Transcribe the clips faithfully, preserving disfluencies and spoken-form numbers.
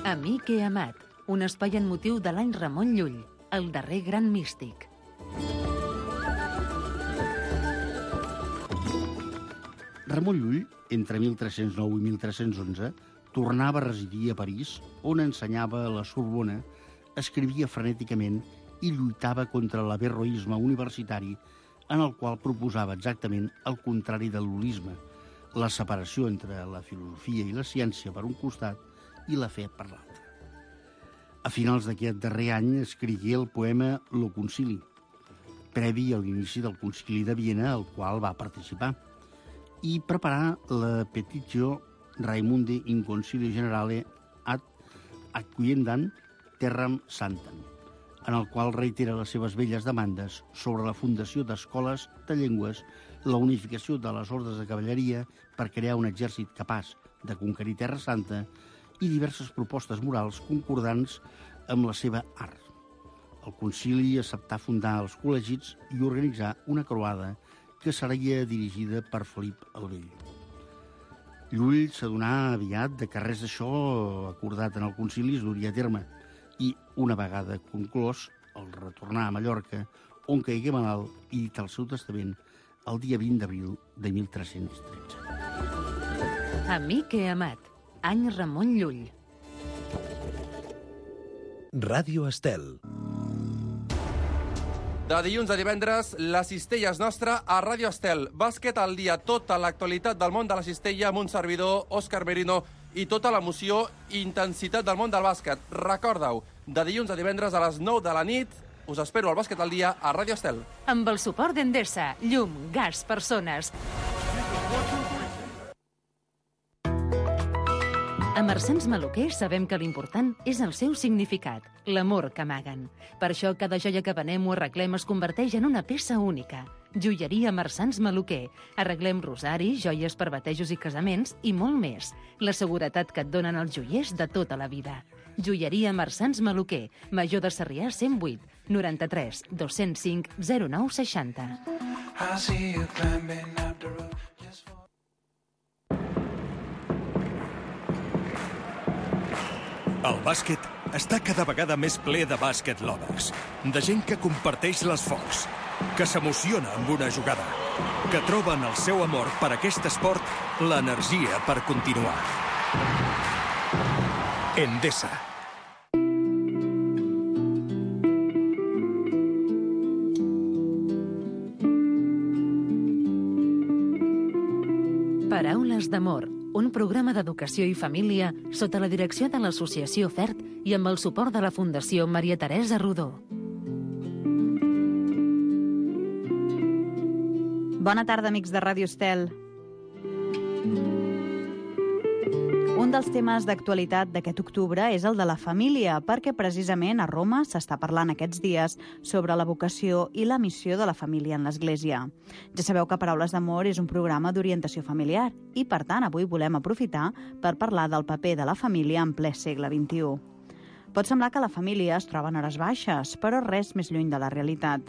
Amic he amat, un espai en motiu de l'any Ramon Llull, el darrer gran místic. Ramon Llull, entre mil tres-cents nou i mil tres-cents onze, tornava a residir a París, on ensenyava a la Sorbona, escrivia frenèticament i lluitava contra l'averroisme universitari, en el qual proposava exactament el contrari de l'holisme, la separació entre la filosofia i la ciència per un costat i la fe per l'altre. A finals d'aquest darrer any escrigué el poema Lo Concili, previ a l'inici del Concili de Viena, al qual va participar, i preparar la Petitio Raimundi in Concilio Generale ad acquiendam terram santam, en el qual reitera les seves velles demandes sobre la fundació d'escoles de llengües, la unificació de les ordres de cavalleria per crear un exèrcit capaç de conquerir Terra Santa i diverses propostes morals concordants amb la seva art. El concili acceptà fundar els col·legis i organitzar una croada que seria dirigida per Felip el Vell. Llull s'adonà aviat de que res d'això acordat en el concili es duria a terme i, una vegada conclòs, el retornà a Mallorca, on caigué malalt i dit el seu testament el dia vint d'abril de mil tres-cents tretze. Amic he amat, any Ramon Llull. Ràdio Estel. De dilluns a divendres, la cistella és nostra a Ràdio Estel. Bàsquet al dia, tota l'actualitat del món de la cistella amb un servidor, Òscar Merino, i tota l'emoció i intensitat del món del bàsquet. Recorda-ho, de dilluns a divendres a les nou de la nit, us espero al Bàsquet al dia a Ràdio Estel. Amb el suport d'Endesa, llum, gas, persones. A Marsans Maluquer sabem que l'important és el seu significat, l'amor que amaguen. Per això cada joia que venem o arreglem es converteix en una peça única. Joieria Marsans Maluquer. Arreglem rosaris, joies per batejos i casaments i molt més. La seguretat que et donen els joiers de tota la vida. Joieria Marsans Maluquer. Major de Sarrià cent vuit, noranta-tres, dos-cents cinc, zero nou seixanta. El bàsquet està cada vegada més ple de bàsquet lovers, de gent que comparteix l'esforç, que s'emociona amb una jugada, que troba en el seu amor per aquest esport l'energia per continuar. Endesa. Paraules d'amor, un programa d'educació i família sota la direcció de l'Associació FERT i amb el suport de la Fundació Maria Teresa Rodó. Bona tarda, amics de Ràdio Estel. Un dels temes d'actualitat d'aquest octubre és el de la família, perquè precisament a Roma s'està parlant aquests dies sobre la vocació i la missió de la família en l'Església. Ja sabeu que Paraules d'Amor és un programa d'orientació familiar i, per tant, avui volem aprofitar per parlar del paper de la família en ple segle vint-i-u. Pot semblar que la família es troba en hores baixes, però res més lluny de la realitat.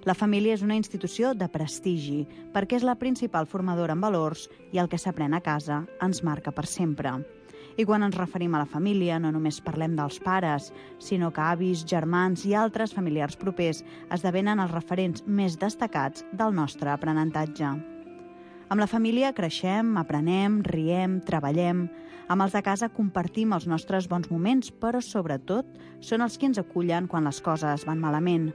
La família és una institució de prestigi, perquè és la principal formadora en valors i el que s'aprèn a casa ens marca per sempre. I quan ens referim a la família, no només parlem dels pares, sinó que avis, germans i altres familiars propers esdevenen els referents més destacats del nostre aprenentatge. Amb la família creixem, aprenem, riem, treballem. Amb els de casa compartim els nostres bons moments, però sobretot són els que ens acullen quan les coses van malament.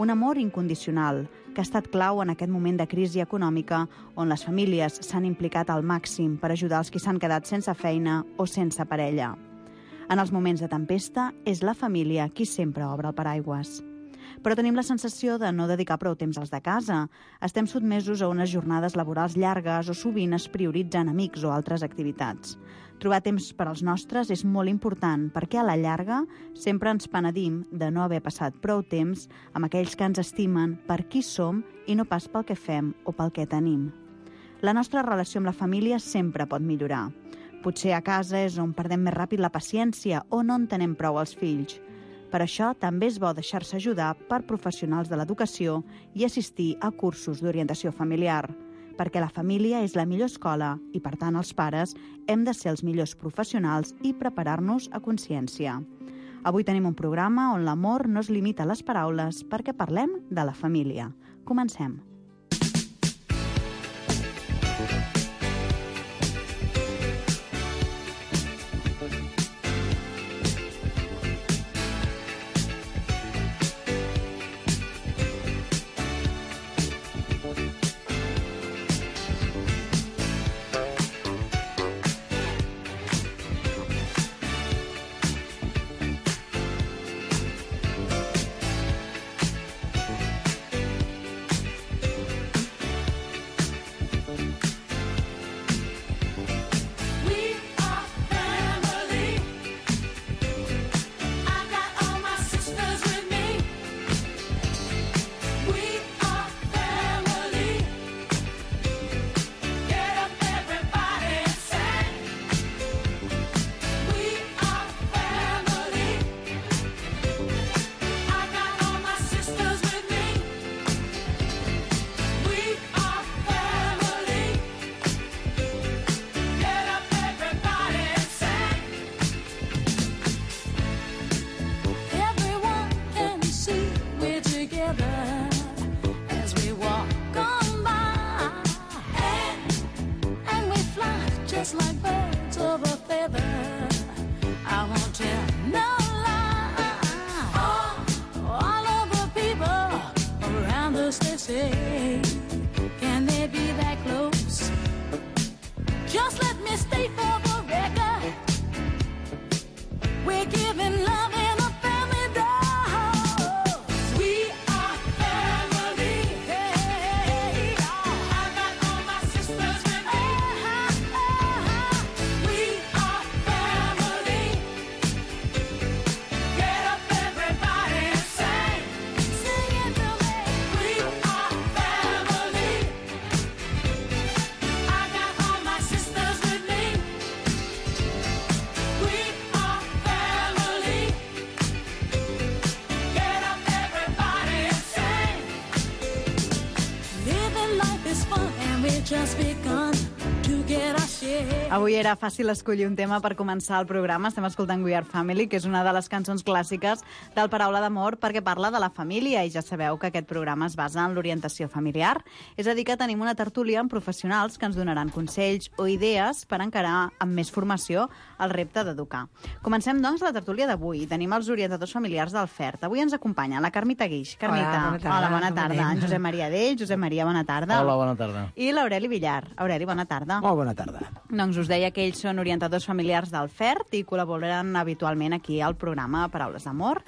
Un amor incondicional, que ha estat clau en aquest moment de crisi econòmica on les famílies s'han implicat al màxim per ajudar els qui s'han quedat sense feina o sense parella. En els moments de tempesta, és la família qui sempre obre el paraigües. Però tenim la sensació de no dedicar prou temps als de casa. Estem sotmesos a unes jornades laborals llargues o sovint es prioritzen amics o altres activitats. Trobar temps per als nostres és molt important perquè a la llarga sempre ens penedim de no haver passat prou temps amb aquells que ens estimen per qui som i no pas pel que fem o pel que tenim. La nostra relació amb la família sempre pot millorar. Potser a casa és on perdem més ràpid la paciència o no entenem prou els fills. Per això també és bo deixar-se ajudar per professionals de l'educació i assistir a cursos d'orientació familiar. perquè la família és la millor escola i, per tant, els pares hem de ser els millors professionals i preparar-nos a consciència. Avui tenim un programa on l'amor no es limita a les paraules perquè parlem de la família. Comencem. Avui era fàcil escollir un tema per començar el programa. Estem escoltant We Are Family, que és una de les cançons clàssiques del Paraula d'Amor, perquè parla de la família, i ja sabeu que aquest programa es basa en l'orientació familiar. És a dir, que tenim una tertúlia amb professionals que ens donaran consells o idees per encarar amb més formació el repte d'educar. Comencem, doncs, la tertúlia d'avui. Tenim els orientadors familiars del F E R T. Avui ens acompanya la Carmita Guix. Carmita, hola, bona tarda. Hola, bona tarda. En Josep Maria Dell. Josep Maria, bona tarda. Hola, bona tarda. I l'Aureli Villar. Aureli, bona tarda. Molt bona tarda. Doncs us deia que ells són orientadors familiars del F E R T i col·laboren habitualment aquí al programa Paraules d'Amor.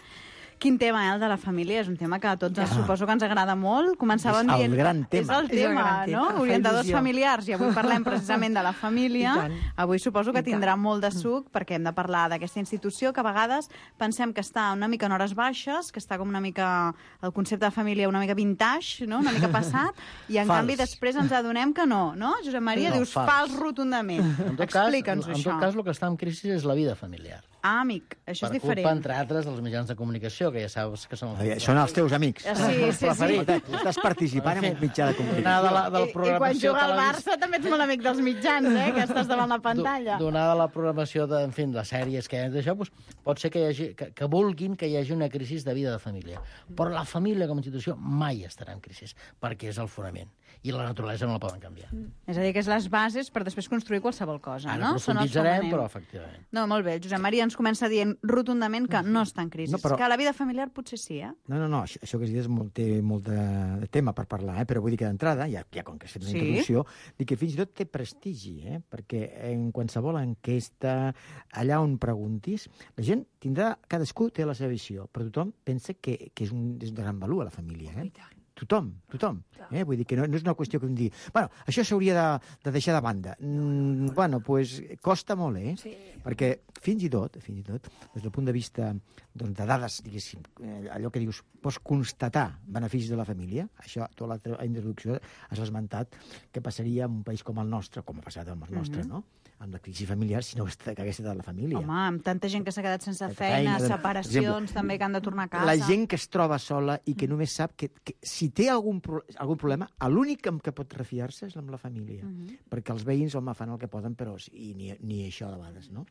Quin tema, eh, el de la família? És un tema que a tots ja. suposo que ens agrada molt. Començàvem és dient... el gran tema. És el tema, és el gran tema, no? Orientadors familiars, i avui parlem precisament de la família. Avui suposo que tindrà molt de suc, perquè hem de parlar d'aquesta institució que a vegades pensem que està una mica en hores baixes, que està com una mica... el concepte de família una mica vintage, no? Una mica passat, i en Fals. canvi després ens adonem que no, no? Josep Maria, No, dius fals. fals rotundament. En tot cas, en, Explica'ns en això. tot cas, el que està en crisi és la vida familiar. Ah, amic, això per és diferent. culpa, entre altres, dels mitjans de comunicació, que ja saps que són els... Eh, Són els teus amics. Sí, sí, sí. Preferit. Estàs participant en un mitjà de comunicació. Donada la, de la I, I quan programació juga al televis- Barça també ets molt amic dels mitjans, eh? Que estàs davant la pantalla. Do- Donada la programació de, en fi, de sèries que hi ha d'això, doncs, pot ser que, hi hagi, que, que vulguin que hi hagi una crisi de vida de família. Però la família com a institució mai estarà en crisi, perquè és el fonament. I la naturalesa no la poden canviar. És a dir, que és les bases per després construir qualsevol cosa, Ara no? Són els profunditzarem, fonaments. però efectivament. No, molt bé. Josep Maria ens comença dient rotundament que no està en crisi. No, però- Que la vida familiar potser sí, eh? No, no, no, això, això que has dit és molt, té molt de, de tema per parlar, eh? Però vull dir que d'entrada, ja, ja com que has fet una Sí? introducció, dic que fins i tot té prestigi, eh? Perquè en qualsevol enquesta, allà on preguntis, la gent tindrà, cadascú té la seva visió, però tothom pensa que, que és, un, és de gran valor a la família, eh? Tothom, tothom. Eh? Vull dir que no, no és una qüestió que em digui, bueno, això s'hauria de, de deixar de banda. Mm, bueno, doncs pues, costa molt, eh? Sí. Perquè fins i tot, fins i tot, des del punt de vista doncs, de dades, diguéssim, eh, allò que dius, pots constatar beneficis de la família, això, tota l'altra introducció has esmentat que passaria en un país com el nostre, com ha passat amb el nostre, mm-hmm. no? Amb la crisi familiar, si no hagués estat la família. Home, amb tanta gent que s'ha quedat sense feina, feina, de- separacions per exemple, també que han de tornar a casa. La gent que es troba sola i que només sap que, que si si té algun, pro algun problema, l'únic amb què pot refiar-se és amb la família, uh -huh. perquè els veïns, home, fan el que poden, però i ni, ni això de vegades, no?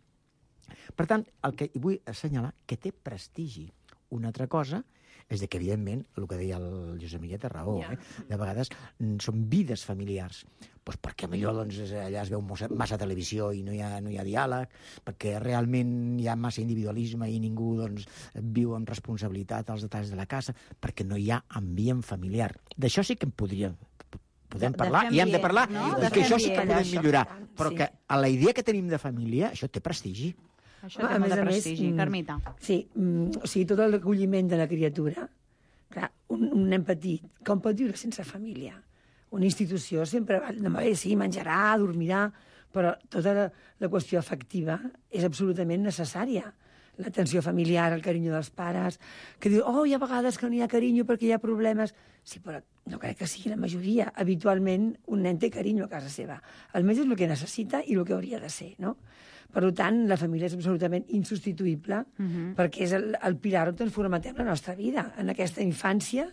Per tant, el que vull assenyalar que té prestigi una altra cosa és que, evidentment, el que deia el Josep Miguel té raó, yeah. eh? De vegades mm, són vides familiars, pues perquè millor doncs, allà es veu massa, massa televisió i no hi, ha, no hi ha diàleg, perquè realment hi ha massa individualisme i ningú doncs, viu amb responsabilitat als detalls de la casa, perquè no hi ha ambient familiar. D'això sí que en podríem podem parlar, i hem de parlar, no? I que això sí que podem millorar. Però sí. que a la idea que tenim de família, això té prestigi. Això té molt de prestigi, més, Carmita. Sí, mm, o sigui, tot l'acolliment de la criatura, clar, un, un nen petit, com pot viure sense família? Una institució sempre va, no, bé, sí, menjarà, dormirà, però tota la, la qüestió afectiva és absolutament necessària. L'atenció familiar, el carinyo dels pares, que diu, oh, hi ha vegades que no hi ha carinyo perquè hi ha problemes. Sí, però no crec que sigui la majoria. Habitualment, un nen té carinyo a casa seva. Almenys és el que necessita i el que hauria de ser, no? Per tant, la família és absolutament insubstituïble uh -huh. perquè és el, el pilar on ens formatem la nostra vida, en aquesta infància,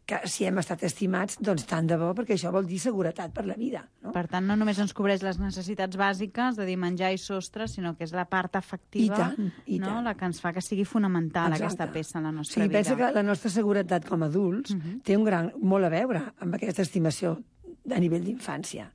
que si hem estat estimats, doncs tant de bo, perquè això vol dir seguretat per la vida. No? Per tant, no només ens cobreix les necessitats bàsiques, de dir menjar i sostre, sinó que és la part afectiva, I tant, i no? tant. la que ens fa que sigui fonamental Exacte. aquesta peça en la nostra sí, vida. Pensa que la nostra seguretat com a adults uh -huh. té un gran, molt a veure amb aquesta estimació a nivell d'infància.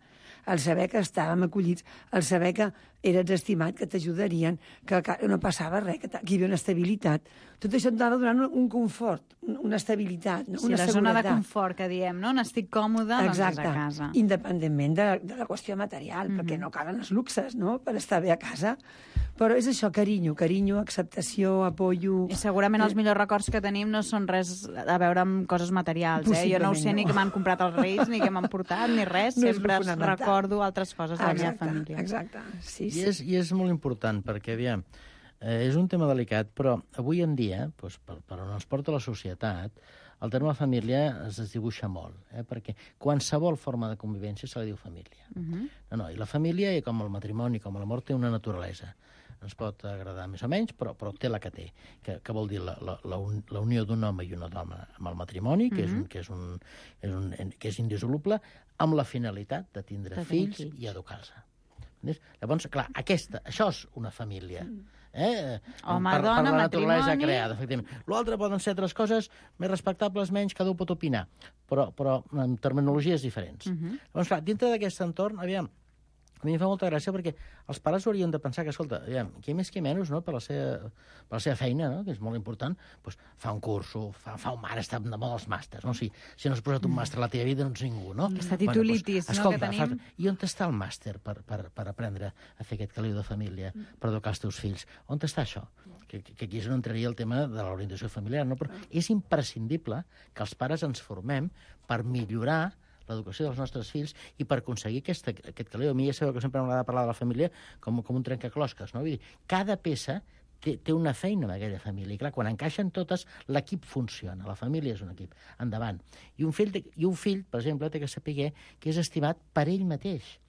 El saber que estàvem acollits, el saber que eres estimat, que t'ajudarien, que no passava res, que aquí hi havia una estabilitat. Tot això et anava donant un confort, una estabilitat, no? Sí, una la seguretat. zona de confort que diem, no? N'estic còmode, Exacte. doncs és a casa. Independentment de, de la qüestió material, mm-hmm. perquè no calen els luxes, no?, per estar bé a casa. Però és això, carinyo, carinyo, acceptació, apoyo... I segurament els millors records que tenim no són res a veure amb coses materials, eh? Jo no ho sé no. ni que m'han comprat els Reis, ni que m'han portat, ni res. No Sempre recordo altres coses de la meva família. Exacte, sí, sí. I és, i és molt important, perquè, aviam, eh, és un tema delicat, però avui en dia, doncs, per, per on ens porta la societat, el terme família es desdibuixa molt, eh? perquè qualsevol forma de convivència se li diu família. Uh -huh. No, no, i la família, com el matrimoni, com l'amor, té una naturalesa. Ens pot agradar més o menys, però, però té la que té, que, que vol dir la, la, la, un, la unió d'un home i una dona amb el matrimoni, que, uh -huh. és, un, que, és, un, és, un, que és indissoluble, amb la finalitat de tindre de fills, fills i educar-se. Llavors, clar, aquesta, això és una família. Eh? Home, per, dona, per la naturalesa matrimoni... creada, efectivament. L'altre poden ser altres coses més respectables, menys, cada un pot opinar, però, però amb terminologies diferents. Uh -huh. Llavors, clar, dintre d'aquest entorn, aviam, a mi em fa molta gràcia perquè els pares haurien de pensar que, escolta, aviam, qui més qui menys, no?, per la seva, per la seva feina, no?, que és molt important, doncs fa un curso, fa, fa un mare, està de moda els màsters, no? Si, si no has posat un màster a la teva vida, no ets ningú, no? Aquesta titulitis, bueno, doncs, no?, escolta, que tenim... Fa, i on està el màster per, per, per aprendre a fer aquest caliu de família, per educar els teus fills? On està això? Que, que aquí és on entraria el tema de l'orientació familiar, no? Però és imprescindible que els pares ens formem per millorar l'educació dels nostres fills i per aconseguir aquesta, aquest caliu. A mi ja sabeu que sempre m'agrada parlar de la família com, com un trencaclosques, no? Vull dir, cada peça té, té una feina en aquella família. I clar, quan encaixen totes, l'equip funciona. La família és un equip. Endavant. I un fill, i un fill per exemple, té que saber que és estimat per ell mateix.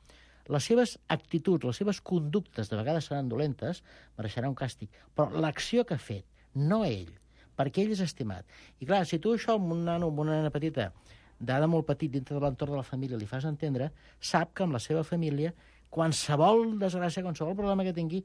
Les seves actituds, les seves conductes, de vegades seran dolentes, mereixerà un càstig. Però l'acció que ha fet, no ell, perquè ell és estimat. I clar, si tu això amb un nano, amb una nena petita, d'ada molt petit dintre de l'entorn de la família li fas entendre, sap que amb la seva família qualsevol desgràcia, qualsevol problema que tingui,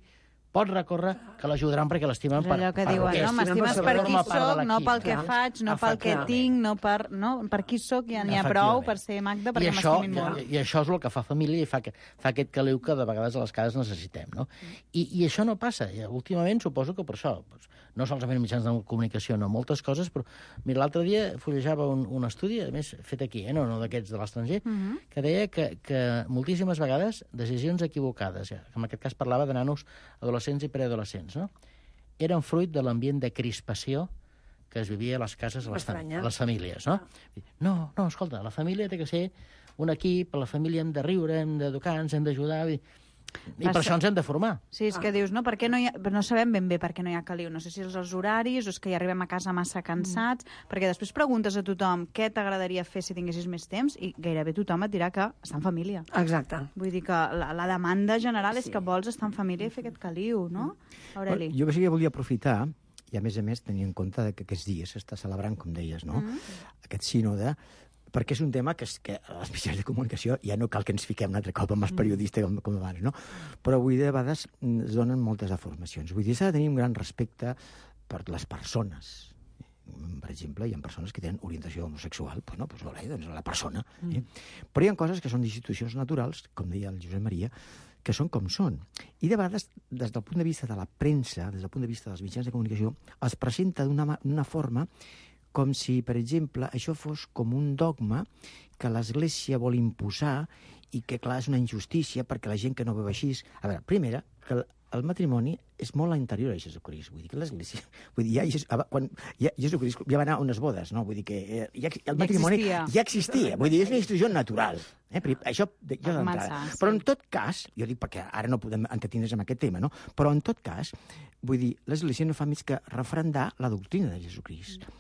pot recórrer que l'ajudaran perquè l'estimen per, allò que per diuen, no? M'estimes per qui soc, no pel que clar. faig, no pel que tinc, no per, no? per qui soc, ja n'hi ha prou per ser Magda, perquè m'estimin molt. I, I això és el que fa família i fa, que, fa aquest caliu que de vegades a les cases necessitem, no? I, i això no passa. I, últimament suposo que per això, doncs, no solament mitjans de comunicació, no, moltes coses, però mira, l'altre dia fullejava un, un estudi, a més fet aquí, eh, no, no d'aquests de l'estranger, uh -huh. que deia que, que moltíssimes vegades decisions equivocades, ja, que en aquest cas parlava de nanos adolescents i preadolescents, no? Eren fruit de l'ambient de crispació que es vivia a les cases, a les, fam a les famílies, no? No, no, escolta, la família té que ser un equip, a la família hem de riure, hem d'educar, ens hem d'ajudar, i per això ens hem de formar. Sí, és que dius, no, per què no, hi ha, no sabem ben bé per què no hi ha caliu. No sé si és els horaris o és que ja arribem a casa massa cansats, mm. perquè després preguntes a tothom què t'agradaria fer si tinguessis més temps i gairebé tothom et dirà que està en família. Exacte. Vull dir que la, la demanda general sí. és que vols estar en família i fer aquest caliu, no, Aureli? Jo sí que volia aprofitar i a més a més tenir en compte que aquests dies s'està celebrant, com deies, no? Mm. Aquest sínode, perquè és un tema que, és, que a les mitjans de comunicació ja no cal que ens fiquem un altre cop amb els periodistes com, com abans, no? Però vull dir, de vegades es donen moltes deformacions. Vull dir, s'ha de tenir un gran respecte per les persones. Per exemple, hi ha persones que tenen orientació homosexual, pues no, pues vale, doncs la persona. Eh? Mm. Però hi ha coses que són d'institucions naturals, com deia el Josep Maria, que són com són. I de vegades, des del punt de vista de la premsa, des del punt de vista dels mitjans de comunicació, es presenta d'una forma com si, per exemple, això fos com un dogma que l'Església vol imposar i que, clar, és una injustícia perquè la gent que no veu així... A veure, primera, que el matrimoni és molt anterior a Jesucrist. Vull dir que l'Església... Vull dir, ja, quan ja, Jesucrist ja va anar a unes bodes, no? Vull dir que ja, el matrimoni ja existia. ja existia. Vull dir, és una institució natural. Eh? Això jo d'entrada. Sí. Però en tot cas, jo dic perquè ara no podem entretindre's amb aquest tema, no? Però en tot cas, vull dir, l'Església no fa més que refrendar la doctrina de Jesucrist. Mm.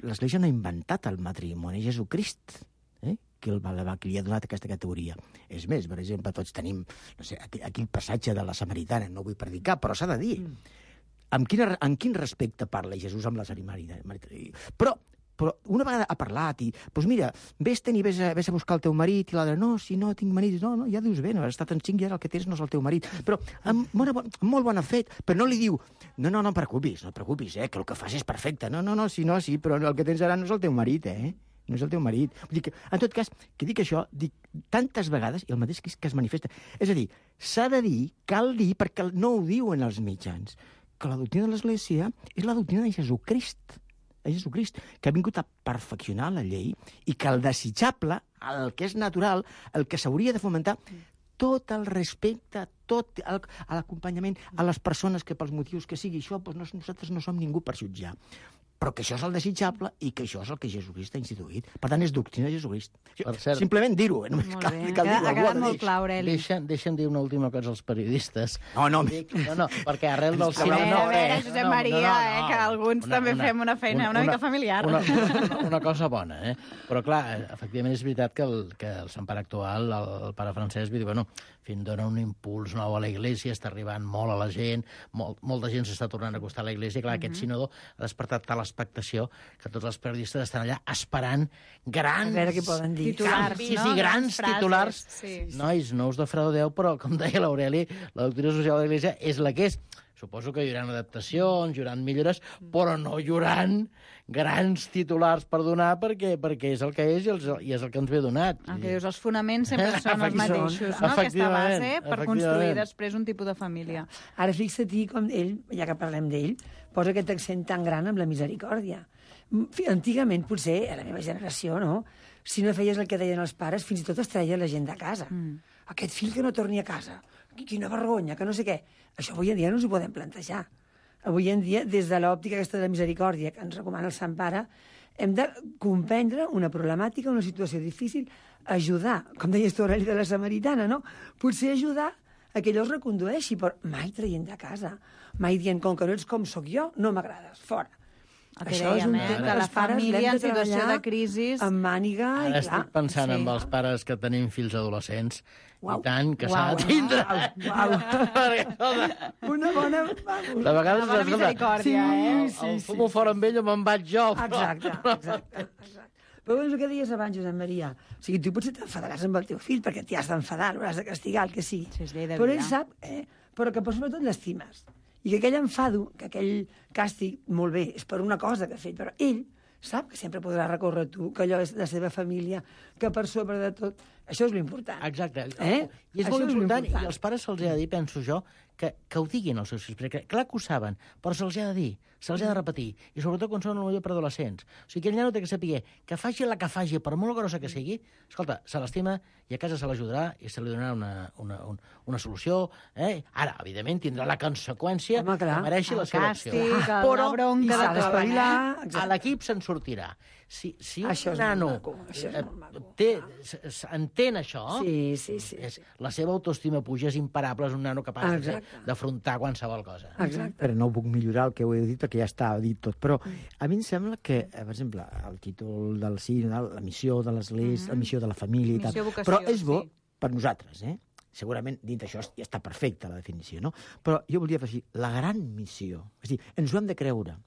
L'Església no ha inventat el matrimoni, Jesucrist, eh? que el, va, que li ha donat aquesta categoria. És més, per exemple, tots tenim, no sé, aquí, aquí el passatge de la Samaritana, no vull predicar, però s'ha de dir. Mm. Amb, quina, amb quin respecte parla Jesús amb la Samaritana? Però, però una vegada ha parlat i, doncs mira, vés-te'n i vés a, vés a buscar el teu marit, i l'altre, no, si no tinc marit, no, no, ja dius bé, no, has estat en cinc i ara el que tens no és el teu marit. Però amb, bona, amb molt bona fet, però no li diu, no, no, no et preocupis, no et preocupis, eh, que el que fas és perfecte. No, no, no, si no, sí, però el que tens ara no és el teu marit, eh? No és el teu marit. Vull dir que, en tot cas, que dic això, dic tantes vegades, i el mateix que, que es manifesta. És a dir, s'ha de dir, cal dir, perquè no ho diuen els mitjans, que la doctrina de l'Església és la doctrina de Jesucrist, de Jesucrist, que ha vingut a perfeccionar la llei i que el desitjable, el que és natural, el que s'hauria de fomentar, tot el respecte, tot l'acompanyament a les persones que pels motius que sigui això, doncs nosaltres no som ningú per jutjar. Però que això és el desitjable i que això és el que Jesucrist ha instituït. Per tant, és doctrina de Jesucrist. Cert, simplement dir-ho. Eh? Molt cal, bé, cal ha quedat molt clar, Aureli. Deixa'm, deixa'm dir una última cosa als periodistes. No, no, Dic, no, no, perquè arrel del... A veure, a veure, Josep no, Maria, no, no, no, eh, que alguns una, també una, fem una feina una, una mica familiar. Una, una, una cosa bona, eh? Però, clar, efectivament és veritat que el, que el Sant Pare actual, el, el pare Francesc, diu, bueno, fin dona un impuls nou a la Iglésia, està arribant molt a la gent, molt, molta gent s'està tornant a acostar a la Iglésia, clar, uh -huh. aquest sínodo ha despertat tal expectació que tots els periodistes estan allà esperant grans titulars, canvis no? i grans frases, titulars. Sí. Nois, no us defraudeu, però, com deia l'Aureli, la doctrina social de l'Església és la que és. Suposo que hi haurà adaptacions, hi haurà millores, però no hi haurà grans titulars per donar perquè, perquè és el que és i, els, i és el que ens ve donat. El que dius, els fonaments sempre són els mateixos, no? Aquesta base per construir després un tipus de família. Ara fixa-t'hi com ell, ja que parlem d'ell, posa aquest accent tan gran amb la misericòrdia. Antigament, potser, a la meva generació, no? Si no feies el que deien els pares, fins i tot es treia la gent de casa. Mm. Aquest fill que no torni a casa, quina vergonya, que no sé què. Això avui en dia no ens ho podem plantejar. Avui en dia, des de l'òptica aquesta de la misericòrdia que ens recomana el Sant Pare, hem de comprendre una problemàtica, una situació difícil, ajudar, com deies tu, Aureli, de la Samaritana, no? Potser ajudar a que allò es recondueixi, però mai traient de casa, mai dient, com que no ets com sóc jo, no m'agrades, fora. El que això dèiem, eh? Que la família en situació de crisi... Amb màniga, i clar. Estic pensant sí. en els pares que tenim fills adolescents, uau. I tant, que s'ha de tindre. Uau, uau. Una bona... De vegades... Una bona misericòrdia, sí, eh? Sí, el sí, fumo sí, fora amb ell o me'n vaig jo. Exacte, exacte. exacte. Però és el que deies abans, Josep Maria. O sigui, tu potser t'enfadaràs amb el teu fill perquè t'hi has d'enfadar, l'hauràs de castigar, el que sigui. Sí, però ell sap, eh? Però que sobretot l'estimes. I que aquell enfado, que aquell càstig, molt bé, és per una cosa que ha fet, però ell sap que sempre podrà recórrer a tu, que allò és la seva família, que per sobre de tot... Això és l'important. Exacte. Eh? I és Això molt és important, important, i als pares se'ls ha de dir, penso jo, que, que ho diguin als seus fills, perquè clar que ho saben, però se'ls ha de dir, se'ls ha de repetir, i sobretot quan són potser per adolescents. O sigui, aquell nano té que saber que faci la que faci, per molt grossa que sigui, escolta, se l'estima i a casa se l'ajudarà i se li donarà una, una, una, una solució. Eh? Ara, evidentment, tindrà la conseqüència Home, clar, que mereixi la seva càstig, acció. Però la bronca de tot, eh? A l'equip se'n sortirà. Si, si un això nano maco, això és molt té, entén això, sí, sí, sí, és, sí. la seva autoestima puja, és imparable, és un nano capaç d'afrontar qualsevol cosa. Exacte. Però no ho puc millorar el que ho he dit perquè ja està dit tot. Però a mi em sembla que, per exemple, el títol del sí, la missió de l'Església, mm -hmm. la missió de la família i tal, vocació, però és bo sí. per nosaltres, eh? segurament dintre això ja està perfecta la definició, no? Però jo volia afegir la gran missió. És a dir, ens ho hem de creure.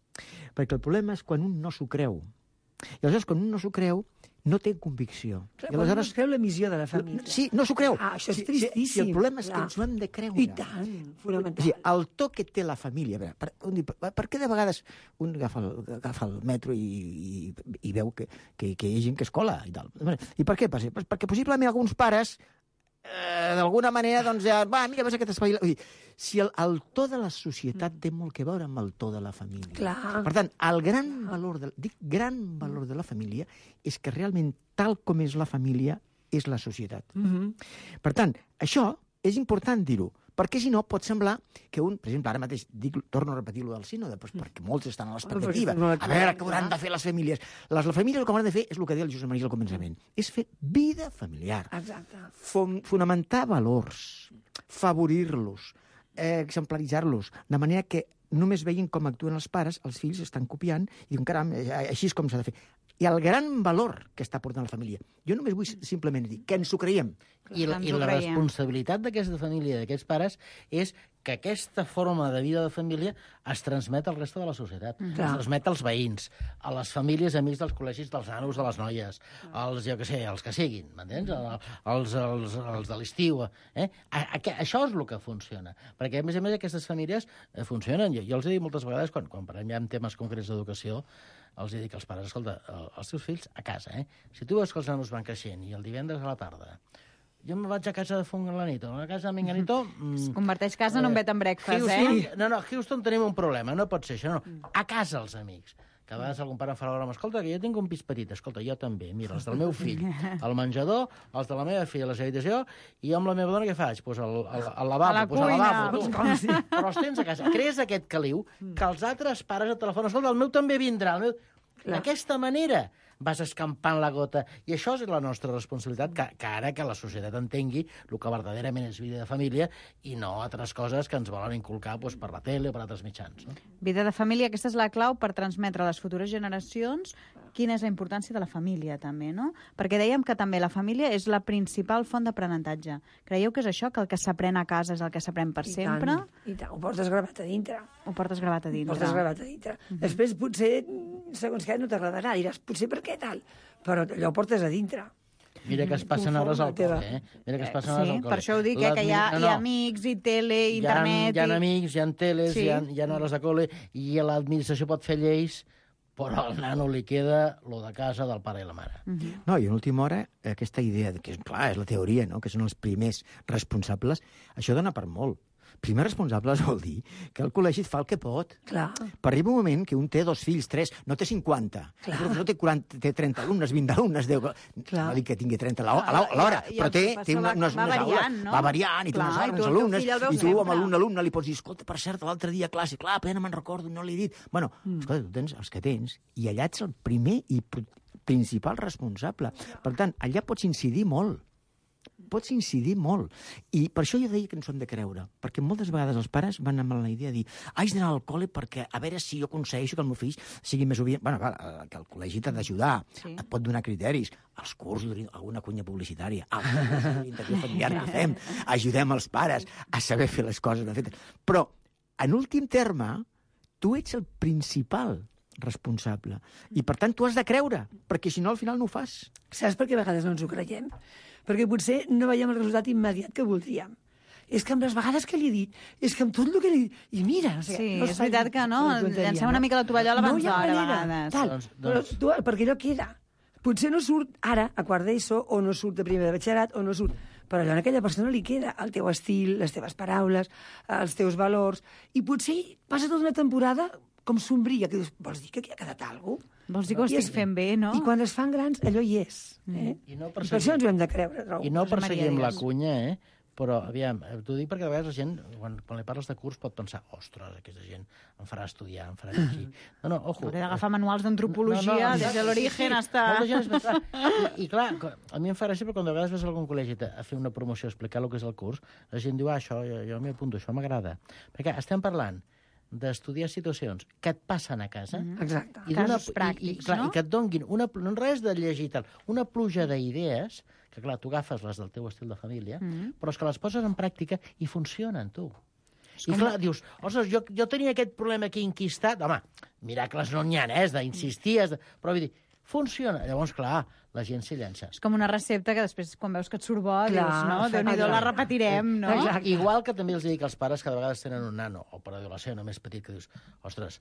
Perquè el problema és quan un no s'ho creu. I aleshores, quan un no s'ho creu, no té convicció. Clar, I aleshores... no es creu la missió de la família. Sí, no s'ho creu. Ah, això és Sí, tristíssim. sí, el problema és que clar. ens ho hem de creure. I tant, fonamental. O sigui, el to que té la família... A veure, per, un, diu, per, per què de vegades un agafa el, agafa el metro i, i, i veu que, que, que hi ha gent que es cola i tal? I per què passa? Pues perquè possiblement alguns pares eh, d'alguna manera, doncs, ja, va, mira, ves aquest espavila. Vull dir, si el, el to de la societat té molt que veure amb el to de la família. Clar. Per tant, el gran valor, de, dic gran valor de la família és que realment tal com és la família és la societat. Mm -hmm. Per tant, això és important dir-ho, perquè si no pot semblar que un, per exemple, ara mateix dic, torno a repetir-lo del sínode, doncs perquè molts estan a l'expectativa. A veure què hauran de fer les famílies. Les, les famílies el que hauran de fer és el que deia el Josep Maria al començament, és fer vida familiar. Exacte. Fon, fonamentar valors, favorir-los, eh, exemplaritzar-los, de manera que només veien com actuen els pares, els fills estan copiant, i diuen, caram, així és com s'ha de fer. I el gran valor que està portant la família. Jo només vull simplement dir que ens ho creiem. I la, i la responsabilitat d'aquesta família, d'aquests pares, és que aquesta forma de vida de família es transmet al reste de la societat. Mm. Es transmet als veïns, a les famílies amics dels col·legis dels nanos, de les noies, als, jo què sé, els que siguin, m'entens? Els, els, els de l'estiu. Eh? A, a, això és el que funciona. Perquè, a més a més, aquestes famílies eh, funcionen. Jo, jo els he dit moltes vegades, quan, quan parlem ja en temes concrets d'educació, els he dit als pares, escolta, els teus fills a casa, eh? Si tu veus que els nanos van creixent i el divendres a la tarda jo me vaig a casa de Fulanito, a casa de Menganito... Es converteix casa en un bed and breakfast, Houston, eh? No, no, a Houston tenim un problema, no pot ser això, no. A casa els amics. Que a vegades algun pare em fa la broma, escolta, que jo tinc un pis petit, escolta, jo també, mira, els del meu fill, al menjador, els de la meva filla a la seva habitació, i jo amb la meva dona què faig? Pues al, al, al lavabo, a la pues cuina. al lavabo, tu. Però els tens a casa. Crees aquest caliu que els altres pares et telefonen, escolta, el meu també vindrà, el meu... D'aquesta manera vas escampant la gota. I això és la nostra responsabilitat, que, que ara que la societat entengui el que verdaderament és vida de família i no altres coses que ens volen inculcar doncs, per la tele o per altres mitjans. No? Vida de família, aquesta és la clau per transmetre a les futures generacions quina és la importància de la família, també, no? Perquè dèiem que també la família és la principal font d'aprenentatge. Creieu que és això, que el que s'aprèn a casa és el que s'aprèn per I sempre? Tant, I tant, ho portes gravat a dintre. Ho portes gravat a dintre. Ho portes gravat a dintre. Uh -huh. Després, potser, segons què, no t'agradarà. Diràs, potser per què tal? Però allò ho portes a dintre. Mira que es passen hores al col·le, eh? Mira que es passen hores al col·le. Sí, per això ho dic, eh, que hi ha, no, no. hi ha amics, i tele, i internet... Hi ha, hi ha amics, hi ha teles, sí. hi, ha, hi ha hores de col·le, i l'administració pot fer lleis, però al nano li queda lo de casa del pare i la mare. Uh -huh. No, i en última hora, aquesta idea, que clar, és la teoria, no?, que són els primers responsables, això dona per molt. Primer responsables vol dir que el col·legi et fa el que pot. Clar. Per arriba un moment que un té dos fills, tres, no té cinquanta. Clar. El professor té, quaranta, té trenta alumnes, vint alumnes, deu... Clar. No dic que tingui trenta a l'hora, però té, té una, unes, va unes variant, aules, no? va variant, i té Clar, unes i tu, alumnes, i tu amb sempre. un alumne li pots dir, escolta, per cert, l'altre dia a classe, clar, plena me'n recordo, no l'he dit. Bueno, mm. escolta, tu tens els que tens, i allà ets el primer i principal responsable. Per tant, allà pots incidir molt. Pots incidir molt. I per això jo deia que ens ho hem de creure, perquè moltes vegades els pares van amb la idea de dir haig d'anar al col·le perquè a veure si jo aconsegueixo que el meu fill sigui més obedient. Bueno, va, que el col·legi t'ha d'ajudar, sí. Et pot donar criteris, els cursos, alguna cunya publicitària, l'orientació familiar que fem, ajudem els pares a saber fer les coses ben fetes. Però, en últim terme, tu ets el principal responsable. I, per tant, tu has de creure, perquè si no, al final no ho fas. Saps per què a vegades no ens ho creiem? Perquè potser no veiem el resultat immediat que voldríem. És que amb les vegades que li he dit, és que amb tot el que li he dit... I mira... O sigui, sí, no és veritat que no, llancem una mica la tovallola abans d'hora, a vegades. Tal, doncs, doncs... Però tu, perquè allò queda. Potser no surt ara a quart d'ESO, o no surt de primer de batxillerat, o no surt... Però allò a aquella persona li queda el teu estil, les teves paraules, els teus valors, i potser passa tota una temporada com sombria, que dius, vols dir que aquí ha quedat alguna cosa? Vols dir que ho estic es, fent bé, no? I quan es fan grans, allò hi és. Eh? I, no I per això ens ho hem de creure. Trobo. I no perseguim la cunya, eh? Però, aviam, t'ho dic perquè a vegades la gent, quan, quan li parles de curs, pot pensar, ostres, aquesta gent em farà estudiar, em farà llegir. No, no, ojo. Hauré d'agafar manuals d'antropologia, no, no, des de l'origen sí, sí. hasta... Molta gent es I, I, clar, a mi em fa gràcia, però quan a vegades vas a algun col·legi a fer una promoció, a explicar el que és el curs, la gent diu, ah, això, jo, jo m'hi apunto, això m'agrada. Perquè estem parlant d'estudiar situacions que et passen a casa. Mm-hmm. Exacte. I d'una- Casos pràctics, i, i, clar, no? I que et donguin una, no res de llegir i tal, una pluja d'idees, que clar, tu agafes les del teu estil de família, Mm-hmm. però és que les poses en pràctica i funcionen, tu. I clar, dius, ostres, jo, jo tenia aquest problema aquí enquistat, home, miracles no n'hi ha, eh, has d'insistir, has de... però vull dir, funciona. Llavors, clar, la gent s'hi llença. És com una recepta que després, quan veus que et surt bo, Clar, dius, no, Déu-n'hi-do, la repetirem, no? Exacte. Igual que també els dic als pares que de vegades tenen un nano o per adolescent o més petit que dius, ostres,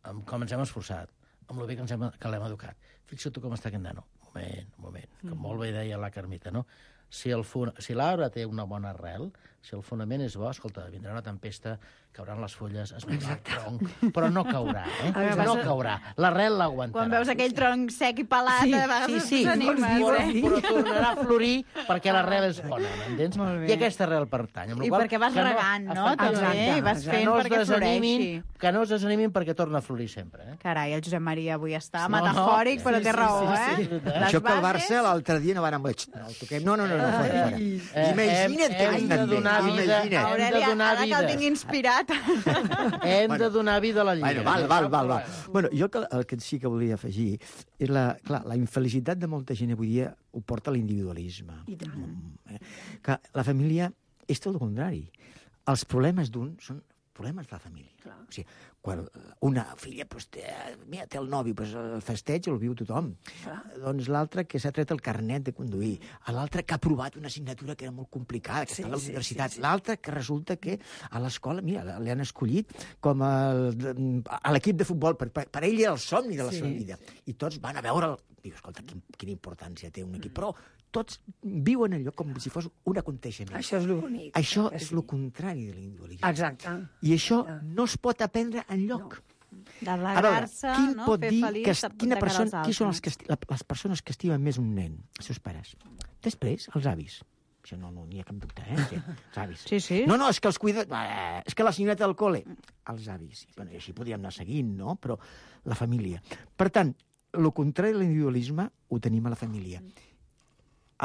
amb com ens hem esforçat, amb el bé que, ens hem, que l'hem educat. Fixa't tu com està aquest nano. Un moment, un moment, que Mm. molt bé deia la Carmita, no? Si el fon... si l'arbre té una bona arrel, si el fonament és bo, escolta, vindrà una tempesta, cauran les fulles, es mourà el tronc, però no caurà, eh? Exacte. No caurà. L'arrel l'aguantarà. Quan veus aquell tronc sec i pelat, Sí, a vegades Sí, sí, t'animes, però, eh? però tornarà a florir perquè l'arrel és bona, m'entens? Molt bé. I aquesta arrel pertany. amb la I qual perquè vas que regant, no? efectivament, També, i vas exacte. fent que no es perquè desanimin, floreixi. que no es desanimin perquè torna a florir sempre. Eh? Carai, el Josep Maria avui està No, no. metafòric, però Sí, té sí, raó, sí, sí, eh? és veritat. Les Això que el bases- Barça l'altre dia no van amb... No, el toquem. No, no, no, no, fora, fora. Eh, Imagina't hem- que hem vinc de també. donar vida- Imagina't. hem de Aurelia, donar ara que el vida. tinc inspirat. Hem Bueno. de donar vida a la lliga. Bueno, val, val, val, val. Bueno, jo que, el que sí que volia afegir és la, clar, la infelicitat de molta gent avui dia ho porta a l'individualisme. I tant. Mm, eh? Que la família és tot el contrari. Els problemes d'un són problemes de la família. Clar. O sigui, quan una filla pues, té, mira, té el nòvio, pues, el festeig el viu tothom. Clar. Doncs l'altre que s'ha tret el carnet de conduir, l'altre que ha aprovat una assignatura que era molt complicada, que Sí, està a la sí, universitat, sí, sí. l'altre que resulta que a l'escola, mira, li han escollit com el, a l'equip de futbol, per, per, per ell era el somni de la Sí, seva vida. I tots van a veure'l. Diu, escolta, quin, quina importància té un equip. Però tots viuen allò com si fos un aconteixement. Això és el bonic. Això que és sí. el contrari de l'individualisme. Exacte. I això no es pot aprendre enlloc. De A veure, regar-se, qui no? pot Fer dir feliç que, de, quina de cara persona, als qui són els altres. que, esti- la, les persones que estimen més un nen? Els seus pares. Després, els avis. Això no, no n'hi ha cap dubte, eh? Sí, els avis. Sí, sí. No, no, és que els cuida... Eh, és que la senyoreta del col·le... Els avis. Bueno, i així podríem anar seguint, no? Però la família. Per tant, el contrari de l'individualisme ho tenim a la família.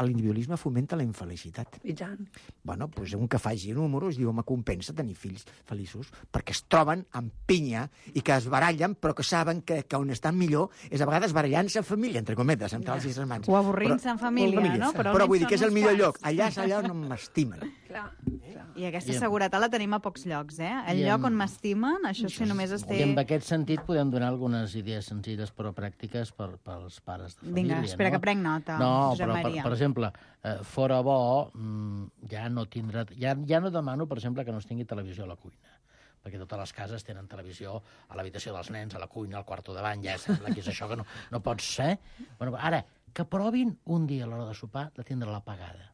L'individualisme fomenta la infelicitat. I tant. Bueno, doncs un que faci números diu, home, compensa tenir fills feliços, perquè es troben amb pinya i que es barallen, però que saben que, que on estan millor és a vegades barallant-se en família, entre cometes, amb tals i germans. O avorrint-se en família, no? Però, Però però vull almenys dir que és són el uns millor quants. lloc. Allà és allà on m'estimen. Clar, clar. I aquesta I amb- seguretat la tenim a pocs llocs, eh? El I lloc amb- on m'estimen, això si només es té... I en aquest sentit podem donar algunes idees senzilles però pràctiques per, pels pares de família. Vinga, espera no? que prenc nota, No, Josep però, per, Maria. per exemple, eh, fora bo, mm, ja no tindrà... Ja, ja no demano, per exemple, que no es tingui televisió a la cuina, perquè totes les cases tenen televisió a l'habitació dels nens, a la cuina, al quarto davant, ja sembla que és això que no, no pots ser. Bueno, ara, que provin un dia a l'hora de sopar de tindre-la apagada.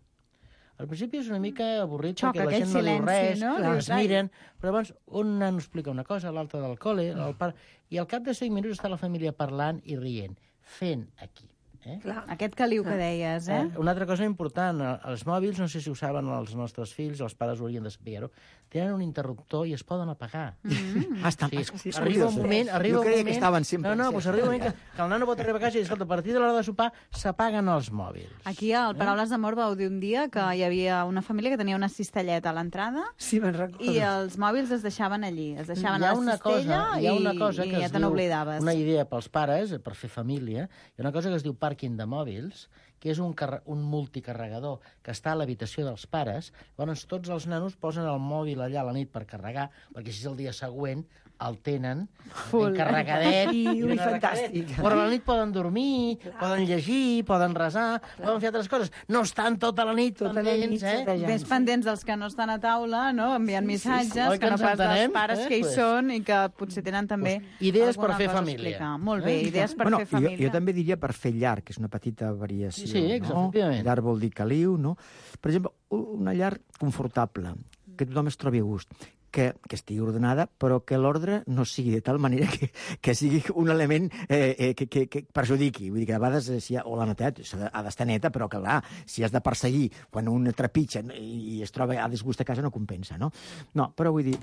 Al principi és una mica avorrit Xoca, perquè la aquell gent no diu silenci, res, no? es Dius, ai. miren, però llavors un nano explica una cosa, l'altre del col·le, el pare... I al cap de cinc minuts està la família parlant i rient, fent aquí. Eh? Clar. Aquest caliu que deies, eh? Eh, una altra cosa important, eh, els mòbils, no sé si ho saben els nostres fills, els pares ho haurien de saber-ho, tenen un interruptor i es poden apagar. Mm. Ah, està, Sí, sí, arriba un moment, arriba jo un creia moment... que estaven sempre... No, no, encès. doncs arriba un moment que, que el nano pot arribar a casa i, escolta, a partir de l'hora de sopar s'apaguen els mòbils. Aquí al Paraules d'Amor vau dir un dia que hi havia una família que tenia una cistelleta a l'entrada Sí, me'n recordo. i els mòbils es deixaven allí, es deixaven Hi ha a la una cistella cosa, hi ha una i, cosa i que ja es te diu, n'oblidaves. una idea pels pares, per fer família, hi ha una cosa que es diu pàrquing de mòbils, que és un, carre, un multicarregador que està a l'habitació dels pares. Llavors tots els nanos posen el mòbil allà a la nit per carregar, perquè si és el dia següent el tenen Full. ben carregadet. I, ui, ben carregadet. fantàstic. Però a la nit poden dormir, poden llegir, poden resar, poden fer altres coses. No estan tota la nit Tota la pendents, nit eh? setejant. Més pendents dels que no estan a taula, no? Enviant missatges, Oi que que no ens pas dels entenem? pares Eh, que hi pues. són i que potser tenen també Pues, idees per alguna fer cosa a família. explicar. Molt bé, Eh? idees per bueno, fer família. Jo, jo també diria per fer llarg, que és una petita variació. Sí, sí, no? efectivament. Llarg vol dir caliu, no? Per exemple, una llar confortable, que tothom es trobi a gust, que, que estigui ordenada, però que l'ordre no sigui de tal manera que, que sigui un element eh, eh, que, que, que perjudiqui. Vull dir que a vegades, eh, si ha, o la netedat s'ha de- ha d'estar neta, però que clar, si has de perseguir quan un trepitja i, i es troba a disgust a casa no compensa, no? No, però vull dir,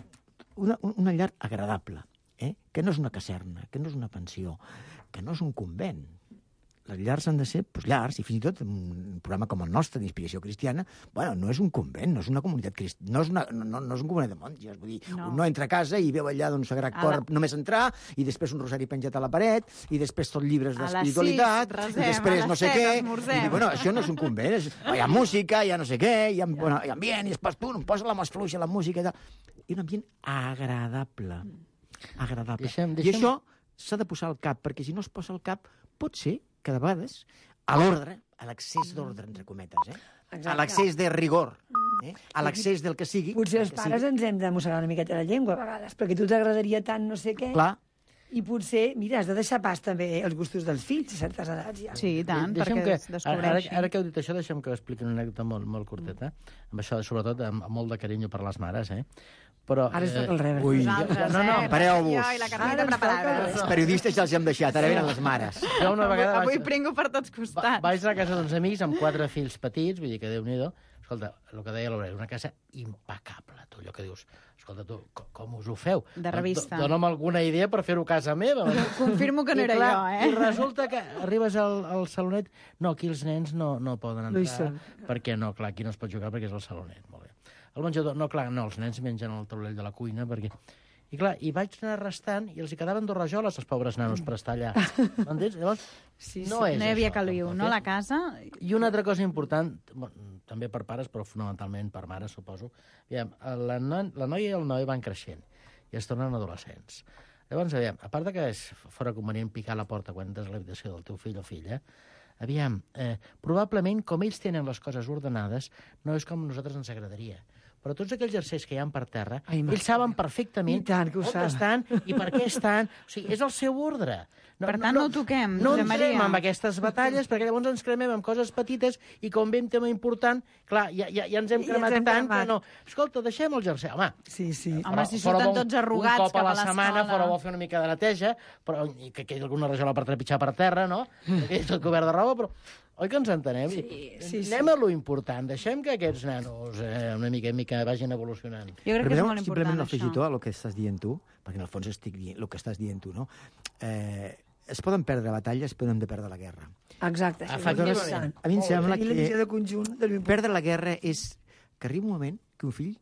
una, una llar agradable, eh? Que no és una caserna, que no és una pensió, que no és un convent, les llars han de ser pues, llars, i fins i tot un programa com el nostre, d'Inspiració Cristiana, bueno, no és un convent, no és una comunitat cristiana, no, és una, no, no és un convent de monges, vull dir, no. Un no entra a casa i veu allà d'un sagrat cor la... només entrar, i després un rosari penjat a la paret, i després tot llibres d'espiritualitat, i després no sé què, i dic, bueno, això no és un convent, és, hi ha música, hi ha no sé què, hi ha, bueno, hi ha ambient, i després tu, posa la mà fluixa, la música i tal, i un ambient agradable, agradable. Deixem, deixem... I això s'ha de posar al cap, perquè si no es posa al cap, pot ser que de vegades, a l'ordre, a l'accés d'ordre, entre cometes, eh? Exacte. A l'accés de rigor, eh? A l'accés del que sigui... Potser els pares sigui... ens hem de mossegar una miqueta la llengua a vegades, perquè a tu t'agradaria tant no sé què... Clar. I potser, mira, has de deixar pas també els gustos dels fills a certes edats ja. Sí, i tant, deixem perquè que, es descobreixi. Ara, ara que heu dit això, deixem que expliqui una anècdota molt, molt curteta, amb això, sobretot, amb, amb molt de carinyo per les mares, eh? Però, ara es toca el rebre. Ui, Nosaltres, no, no, eh? pareu-vos. Jo i la carneta preparada. Els periodistes ja els hem deixat, ara venen les mares. Jo una vegada Avui vaig, pringo per tots costats. vaig a la casa d'uns amics amb quatre fills petits, vull dir que Déu-n'hi-do. Escolta, el que deia l'Aureli, una casa impecable, tu, allò que dius, escolta, tu, com, com us ho feu? De revista. Dóna'm alguna idea per fer-ho a casa meva. Confirmo que no I era clar, jo, eh? I resulta que arribes al, al salonet, no, aquí els nens no, no poden No hi entrar, són. perquè no, clar, aquí no es pot jugar perquè és el salonet, molt bé. El menjador, no, clar, no, els nens mengen al taulell de la cuina, perquè... I clar, i vaig anar restant i els hi quedaven dos rajoles als pobres nanos per estar allà. M'entens? Llavors, Sí, sí. no és no hi havia això, caliu, tampoc, no? eh? La casa... I una altra cosa important, bueno, també per pares, però fonamentalment per mares, suposo. Aviam, la, no, la noia i el noi van creixent i es tornen adolescents. Llavors, aviam, a part de que és fora convenient picar la porta quan entres a l'habitació del teu fill o filla, aviam, eh, probablement, com ells tenen les coses ordenades, no és com a nosaltres ens agradaria. Però tots aquells jerseis que hi ha per terra, Ai, ells saben perfectament I tant que ho on saben. estan i per què estan. O sigui, és el seu ordre. Per tant, no ho toquem, No Josep entrem Maria. amb aquestes batalles, perquè llavors ens cremem amb coses petites i com ve un tema important, clar, ja, ja, ja ens hem Ja ens cremat hem tant cremat. que no. Escolta, deixem el jersei. Home, Sí, sí. Home, si fora surten vol- tots arrugats un cop cap a a la setmana, l'escola. fora vol fer una mica de neteja, però i que quedi alguna rajola per trepitjar per terra, no? Que és tot cobert de roba, però... Oi que ens entenem? Sí, sí, sí. Anem a lo important. Deixem que aquests nanos eh, una mica en mica vagin evolucionant. Jo crec que és Permeteu molt simplement important, un afegitó això. a lo que estàs dient tu, perquè en el fons estic dient el que estàs dient tu, no? Eh, es poden perdre batalles, però no hem de perdre la guerra. Exacte. això és Efectivament. important. A mi em sembla I la visió que de conjunt de l'important. perdre la guerra és que arriba un moment que un fill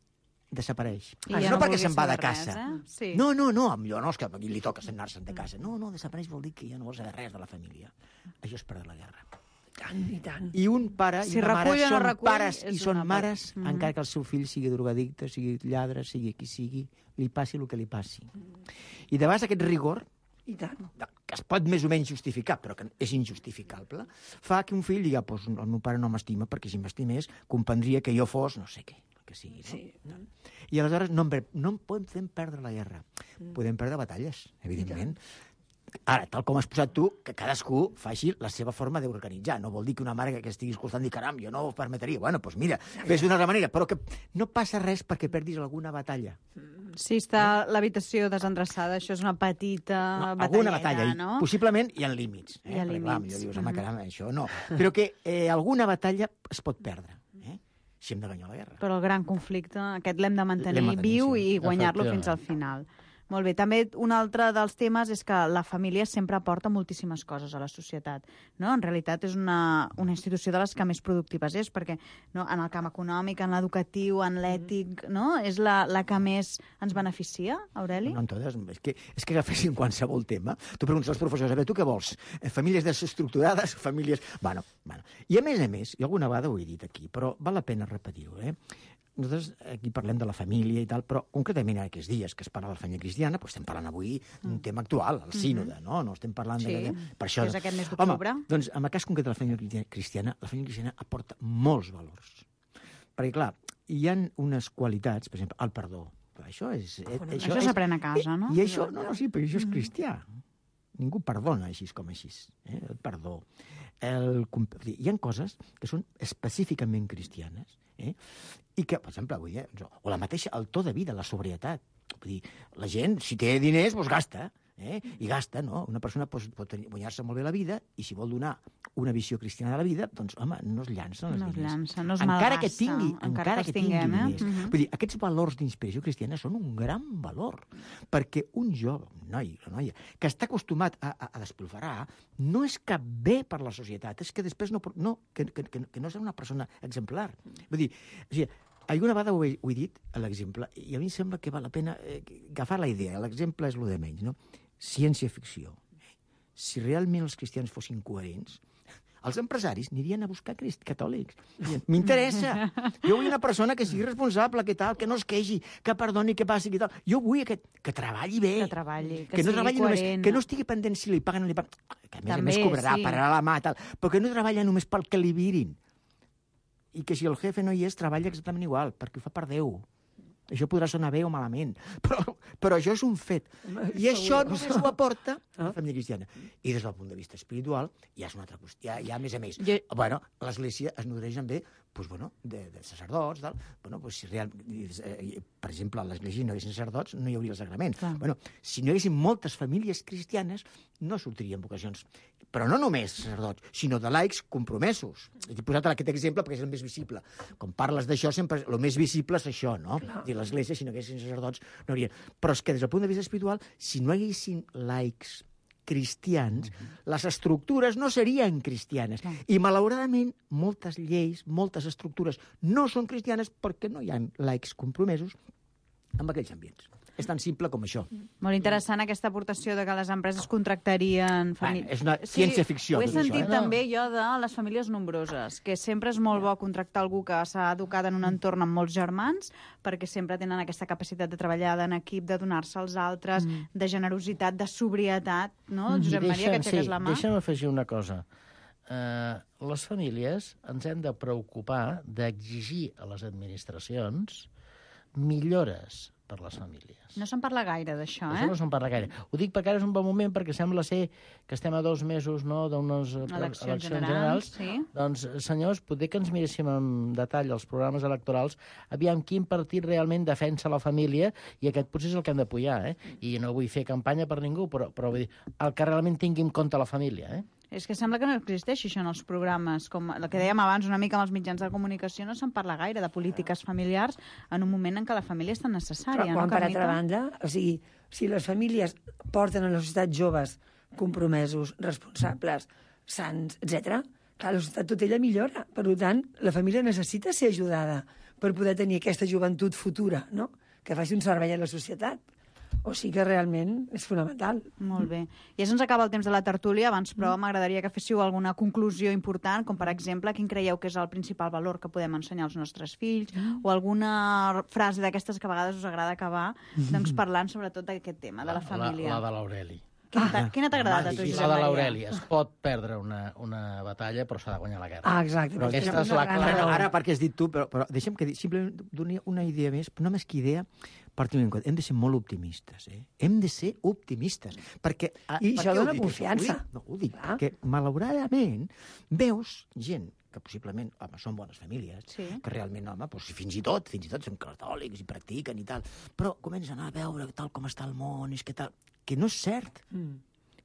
desapareix. I Ah, ja no no perquè vulgui se'n va de saber res, casa. eh? Sí. No, no, no, millor no, és que a qui li toca anar-se'n de casa. No, no, desapareix vol dir que ja no vol saber res de la família. Això és perdre la guerra. I tant, i tant. I un pare Si i una mare recull o no són recull, pares i és són una mares, part. Mhm. encara que el seu fill sigui drogadicte, sigui lladre, sigui qui sigui, li passi el que li passi. I de vegades aquest rigor, I tant. que es pot més o menys justificar, però que és injustificable, fa que un fill digui, pues, el meu pare no m'estima, perquè si m'estimés comprendria que jo fos no sé què, el que sigui. No? Sí. I aleshores no, en- no en podem perdre la guerra. Podem perdre batalles, evidentment. Ara, tal com has posat tu, que cadascú faci la seva forma d'organitzar. No vol dir que una mare que estigui escoltant digui, caram, jo no ho permetria. Bueno, doncs mira, fes d'una altra manera, però que no passa res perquè perdis alguna batalla. Si està l'habitació desendreçada, això és una petita No, batalleta, alguna batalla, i no? possiblement hi ha límits. Eh? Hi ha Perquè, límits. clar, millor dius, home, Mhm. caram, això no. Però que eh, alguna batalla es pot perdre, eh? si hem de guanyar la guerra. Però el gran conflicte, aquest l'hem de mantenir L'hem de mantenir, viu sí. i guanyar-lo Efectivament. fins al final. Molt bé. També un altre dels temes és que la família sempre aporta moltíssimes coses a la societat. No? En realitat és una, una institució de les que més productives és, perquè no? en el camp econòmic, en l'educatiu, en l'ètic, no? és la, la que més ens beneficia, Aureli? No, en totes. És que, és que agafessin qualsevol tema. Tu preguntes als professors, a veure, tu què vols? Eh, Famílies desestructurades, famílies... Bueno, bueno. I a més a més, jo alguna vegada ho he dit aquí, però val la pena repetir-ho, eh? Nosaltres aquí parlem de la família i tal, però concretament en aquests dies que es parla de la família cristiana, doncs estem parlant avui d'un tema actual, el sínode, no? No estem parlant Sí, de... Per això... que és aquest mes d'octubre. Home, doncs en el cas concret de la família cristiana, la família cristiana aporta molts valors. Perquè, clar, hi ha unes qualitats, per exemple, el perdó. Això és... Eh, Això s'aprèn a casa, no? I això, no, no, sí, però això és cristià. Ningú perdona així com així. Eh? El perdó. El, hi ha coses que són específicament cristianes, eh? I que, per exemple, avui, eh? o la mateixa, el to de vida, la sobrietat. Vull dir, la gent, si té diners, doncs gasta. Eh? I gasta, no? Una persona pot, pot guanyar-se molt bé la vida i si vol donar una visió cristiana de la vida, doncs, home, no es llancen els No es diners. llança, no es encara malgasta, que tingui, encara encara que que els tingui tinguem, eh? diners. Mhm. Vull dir, aquests valors d'inspiració cristiana són un gran valor, perquè un jove, un noi, la noia, que està acostumat a, a, a despilfarrar, no és cap bé per la societat, és que després no... no que, que, que, que no és una persona exemplar. Vull dir, o sigui, alguna vegada ho he, ho he dit, a l'exemple, i a mi em sembla que val la pena eh, agafar la idea. L'exemple és lo de menys, no? Ciència-ficció. Si realment els cristians fossin coherents, els empresaris anirien a buscar crist catòlics. M'interessa. Jo vull una persona que sigui responsable, que tal, que no es queixi, que perdoni, que passi, que tal. Jo vull aquest, que treballi bé. Que treballi, que, que no sigui treballi coherent. Només, que no estigui pendent si li paguen o no li paguen. Que a més També, a més cobrarà, sí. pararà la mà, tal. Però que no treballa només pel que li virin. I que si el jefe no hi és, treballa exactament igual, perquè ho fa per Déu. Això podrà sonar bé o malament, però, però això és un fet. I això només ho aporta la família cristiana. I des del punt de vista espiritual, ja és una altra qüestió. Ja, ja a més a més, Jo... bueno, l'Església es nodreix també pues, bueno, de, de sacerdots. Del, bueno, pues, si real, eh, per exemple, a l'Església no hi haguessin sacerdots, no hi hauria el sagrament. Bueno, si no hi haguessin moltes famílies cristianes, no sortirien vocacions. Però no només sacerdots, sinó de laics compromesos. He posat aquest exemple perquè és el més visible. Quan parles d'això, sempre el més visible és això, no? Dir l'Església, si no haguessin sacerdots, no haurien. Però és que des del punt de vista espiritual, si no hi haguessin laics cristians, uh-huh. les estructures no serien cristianes. Uh-huh. I, malauradament, moltes lleis, moltes estructures no són cristianes perquè no hi ha laics compromesos amb aquells ambients. És tan simple com això. Molt interessant aquesta aportació de que les empreses contractarien... Famí... Bueno, és una ciència-ficció. Ho he sentit això, eh? també jo de les famílies nombroses, que sempre és molt bo contractar algú que s'ha educat en un entorn amb molts germans, perquè sempre tenen aquesta capacitat de treballar en equip, de donar-se als altres, mm. de generositat, de sobrietat, no? Mm. Josep Maria, que aixeques sí, la mà. Deixa'm afegir una cosa. Uh, les famílies ens hem de preocupar d'exigir a les administracions millores per les famílies. No se'n parla gaire d'això, eh? Això no se'n parla gaire. Ho dic perquè ara és un bon moment, perquè sembla ser que estem a dos mesos, no?, d'unes eleccions, eleccions generals. generals. Sí. Doncs, senyors, potser que ens miréssim en detall els programes electorals, aviam quin partit realment defensa la família, i aquest potser és el que hem d'apoyar, eh? I no vull fer campanya per ningú, però, però vull dir, el que realment tingui en compte la família, eh? És que sembla que no existeix això en els programes. Com el que dèiem abans una mica amb els mitjans de comunicació, no se'n parla gaire de polítiques familiars en un moment en què la família és tan necessària. Però quan, no, per altra banda, o sigui, si les famílies porten a la societat joves compromesos, responsables, sants, etcètera, clar, la societat tot ella millora. Per tant, la família necessita ser ajudada per poder tenir aquesta joventut futura, no?, que faci un servei a la societat. O sigui que realment és fonamental. Molt bé. Ja se'ns acaba el temps de la tertúlia, abans, però m'agradaria que féssiu alguna conclusió important, com per exemple, quin creieu que és el principal valor que podem ensenyar als nostres fills, mm. o alguna frase d'aquestes que a vegades us agrada acabar, doncs parlant sobretot d'aquest tema, de la família. La, la de l'Aureli. Quina t'ha ah, t'ha agradat a tu, Josep La de Maria? l'Aureli. Es pot perdre una, una batalla, però s'ha de guanyar la guerra. Ah, exacte. Però aquesta és la Ara, clara. ara, perquè has dit tu, però, però deixa'm que simplement doni una idea més, però només que idea, per tenir en compte, hem de ser molt optimistes, eh? Hem de ser optimistes, perquè... I per això què ho dona dic, confiança. Ho dic, no, ho dic, ah. perquè, malauradament, veus gent que possiblement, home, són bones famílies, sí. que realment, home, doncs, fins i tot, fins i tot són catòlics i practiquen i tal, però comencen a veure tal com està el món, és que tal... Que no és cert. Mm.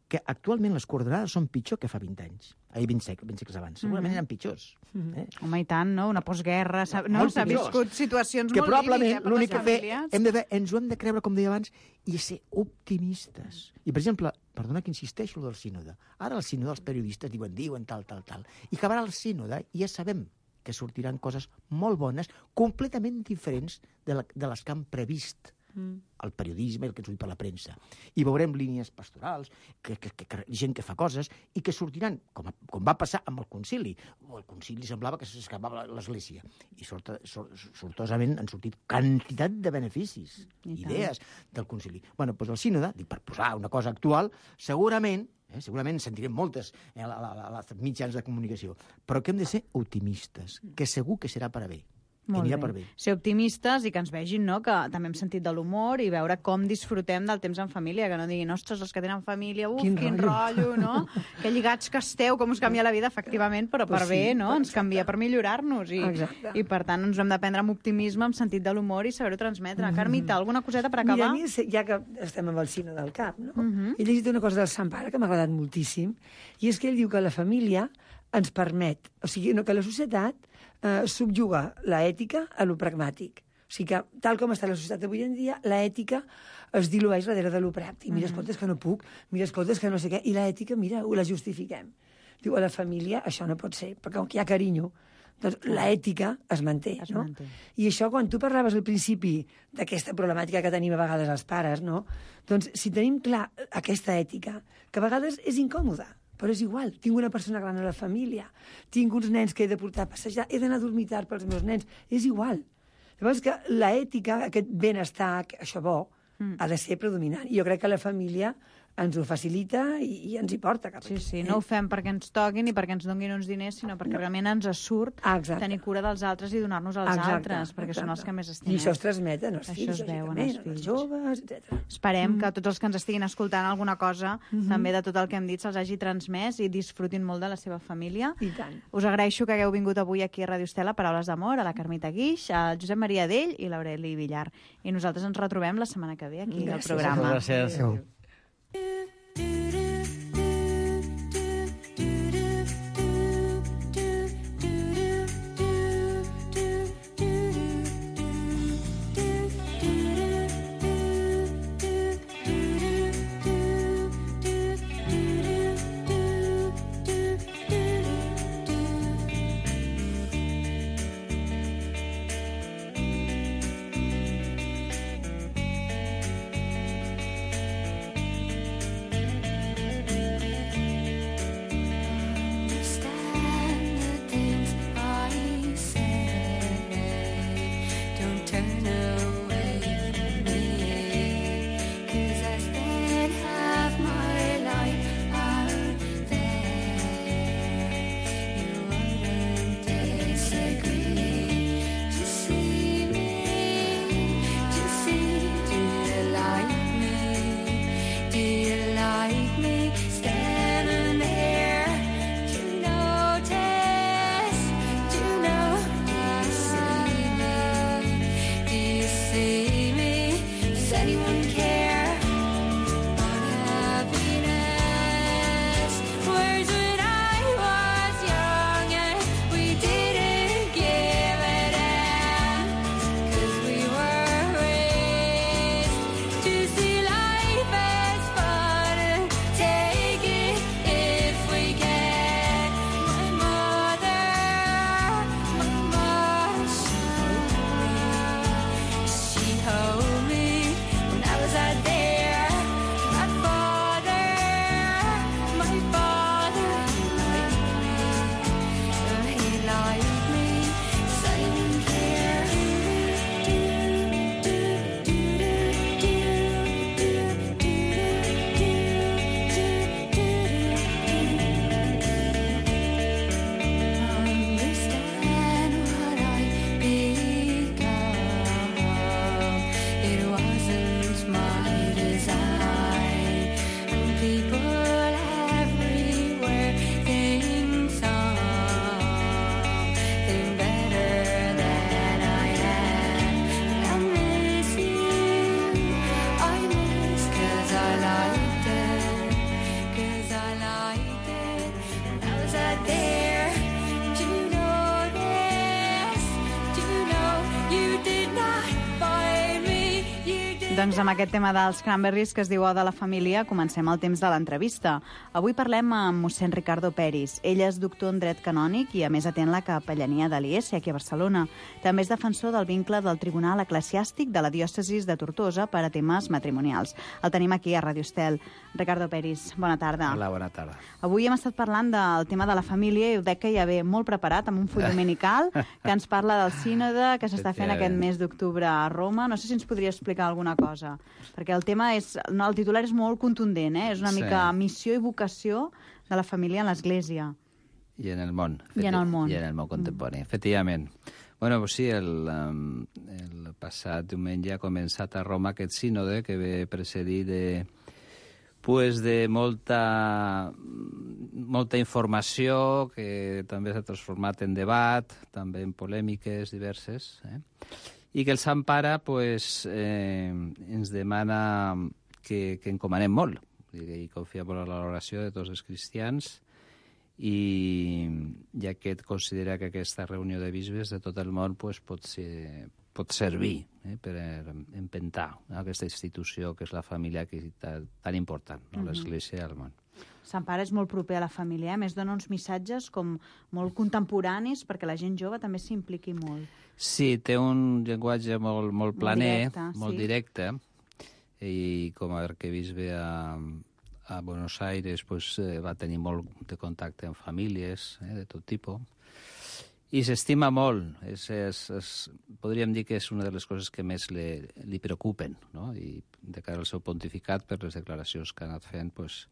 Que actualment les coordenades són pitjor que fa vint anys. Ai, vint segles, vint segles abans. Segurament eren pitjors. Eh? Home, i tant, no? Una postguerra, no? S'ha viscut situacions que molt probablement límite l'únic que fer, famílies. hem de fer, ens ho hem de creure, com deia abans, i ser optimistes. I, per exemple, perdona que insisteixo del sínode. Ara el sínode, els periodistes diuen, diuen tal, tal, tal. I acabarà el sínode i ja sabem que sortiran coses molt bones, completament diferents de, la, de les que han previst mm. el periodisme, el que ens diu per la premsa. I veurem línies pastorals, que, que, que, que, gent que fa coses, i que sortiran, com, a, com va passar amb el concili. El concili semblava que s'escapava l'Església. I sort, sort, sortosament han sortit quantitat de beneficis, I idees tant. Del concili. Bueno, doncs el sínode, dic, per posar una cosa actual, segurament, eh, segurament sentirem moltes eh, a, a, a, a mitjans de comunicació, però que hem de ser optimistes, que segur que serà per a bé. Molt bé. Per bé. Ser optimistes i que ens vegin, no?, que també hem sentit de l'humor i veure com disfrutem del temps en família, que no diguin, ostres, els que tenen família, uf, quin, quin rotllo, no? Que lligats que esteu, com us canvia la vida, efectivament, però per pues bé, sí, no? Ens canvia per millorar-nos i, i per tant ens ho hem de prendre amb optimisme, amb sentit de l'humor i saber-ho transmetre. Mm -hmm. Carmita, alguna coseta per acabar? Mira, mi, ja que estem amb el Cine del Cap, no? Mm -hmm. He llegit una cosa del Sant Pare que m'ha agradat moltíssim, i és que ell diu que la família ens permet, o sigui, no, que la societat eh, subjuga l'ètica a lo pragmàtic. O O sigui que, tal com està la societat avui en dia, l'ètica es dilueix darrere de lo pràctic. Mira, escolta, és que no puc, mira, escolta, és que no sé què. I l'ètica, mira, ho la justifiquem. Diu, a la família això no pot ser, perquè com que hi ha carinyo, doncs l'ètica es manté, Es no? manté. I això, quan tu parlaves al principi d'aquesta problemàtica que tenim a vegades els pares, no? Doncs si tenim clar aquesta ètica, que a vegades és incòmoda, però és igual, tinc una persona gran a la família, tinc uns nens que he de portar a passejar, he d'anar a dormir tard pels meus nens, és igual. Llavors que l'ètica, aquest benestar, això bo, mm. ha de ser predominant. I jo crec que la família ens ho facilita i, i ens hi porta cap Sí, aquí. sí, eh? no ho fem perquè ens toquin i perquè ens donguin uns diners, sinó perquè no. realment ens surt Ah, exacte. tenir cura dels altres i donar-nos als Exacte, altres, perquè exacte. són els que més estimem. I això es transmeten als Això fills, es veu en lògicament, els als fills. joves, etcètera. Esperem mm. que tots els que ens estiguin escoltant alguna cosa, Mhm. també de tot el que hem dit, se'ls hagi transmès i disfrutin molt de la seva família. I tant. Us agraeixo que hagueu vingut avui aquí a Ràdio Estela, Paraules d'Amor, a la Carmita Guix, al Josep Maria Dell i l'Aureli Villar. I nosaltres ens retrobem la setmana que ve aquí al Gràcies. programa. Gràcies. Adéu. Doncs amb aquest tema dels Cranberries que es diu O de la família, comencem el temps de l'entrevista. Avui parlem amb mossèn Ricardo Peris. Ell és doctor en dret canònic i a més atén la capellania de l'I E S aquí a Barcelona. També és defensor del vincle del Tribunal Eclesiàstic de la diòcesis de Tortosa per a temes matrimonials. El tenim aquí a Ràdio Estel. Ricardo Peris, bona tarda. Hola, bona tarda. Avui hem estat parlant del tema de la família i ho dec que ja ve molt preparat amb un full dominical que ens parla del sínode que s'està fent aquest mes d'octubre a Roma. No sé si ens podria explicar alguna cosa, perquè el tema és... No, el titular és molt contundent, eh? És una Sí. mica missió i vocació de la família en l'Església. I en el món. I en el món. I en el món contemporani, mm. efectivament. Bueno, pues sí, el, um, el passat diumenge ha començat a Roma aquest sínode que ve precedit de, pues de molta, molta informació que també s'ha transformat en debat, també en polèmiques diverses, eh? I que el Sant Pare pues, eh, ens demana que, que encomanem molt, i confiem molt en l'oració de tots els cristians, i ja que considera que aquesta reunió de bisbes de tot el món pues, pot, ser, pot servir eh, per empentar aquesta institució que és la família, que és tan important, no? Mhm. L'Església al món. Sant Pare és molt proper a la família, a més dona uns missatges com molt contemporanis perquè la gent jove també s'impliqui molt. Sí, té un llenguatge molt, molt planer, directe, molt sí. directe, i com a arquebisbe ve a, a Buenos Aires pues, eh, va tenir molt de contacte amb famílies eh, de tot tipus, i s'estima molt. És, és, és, podríem dir que és una de les coses que més li, li preocupen, no? I de cara al seu pontificat, per les declaracions que ha anat fent, pues,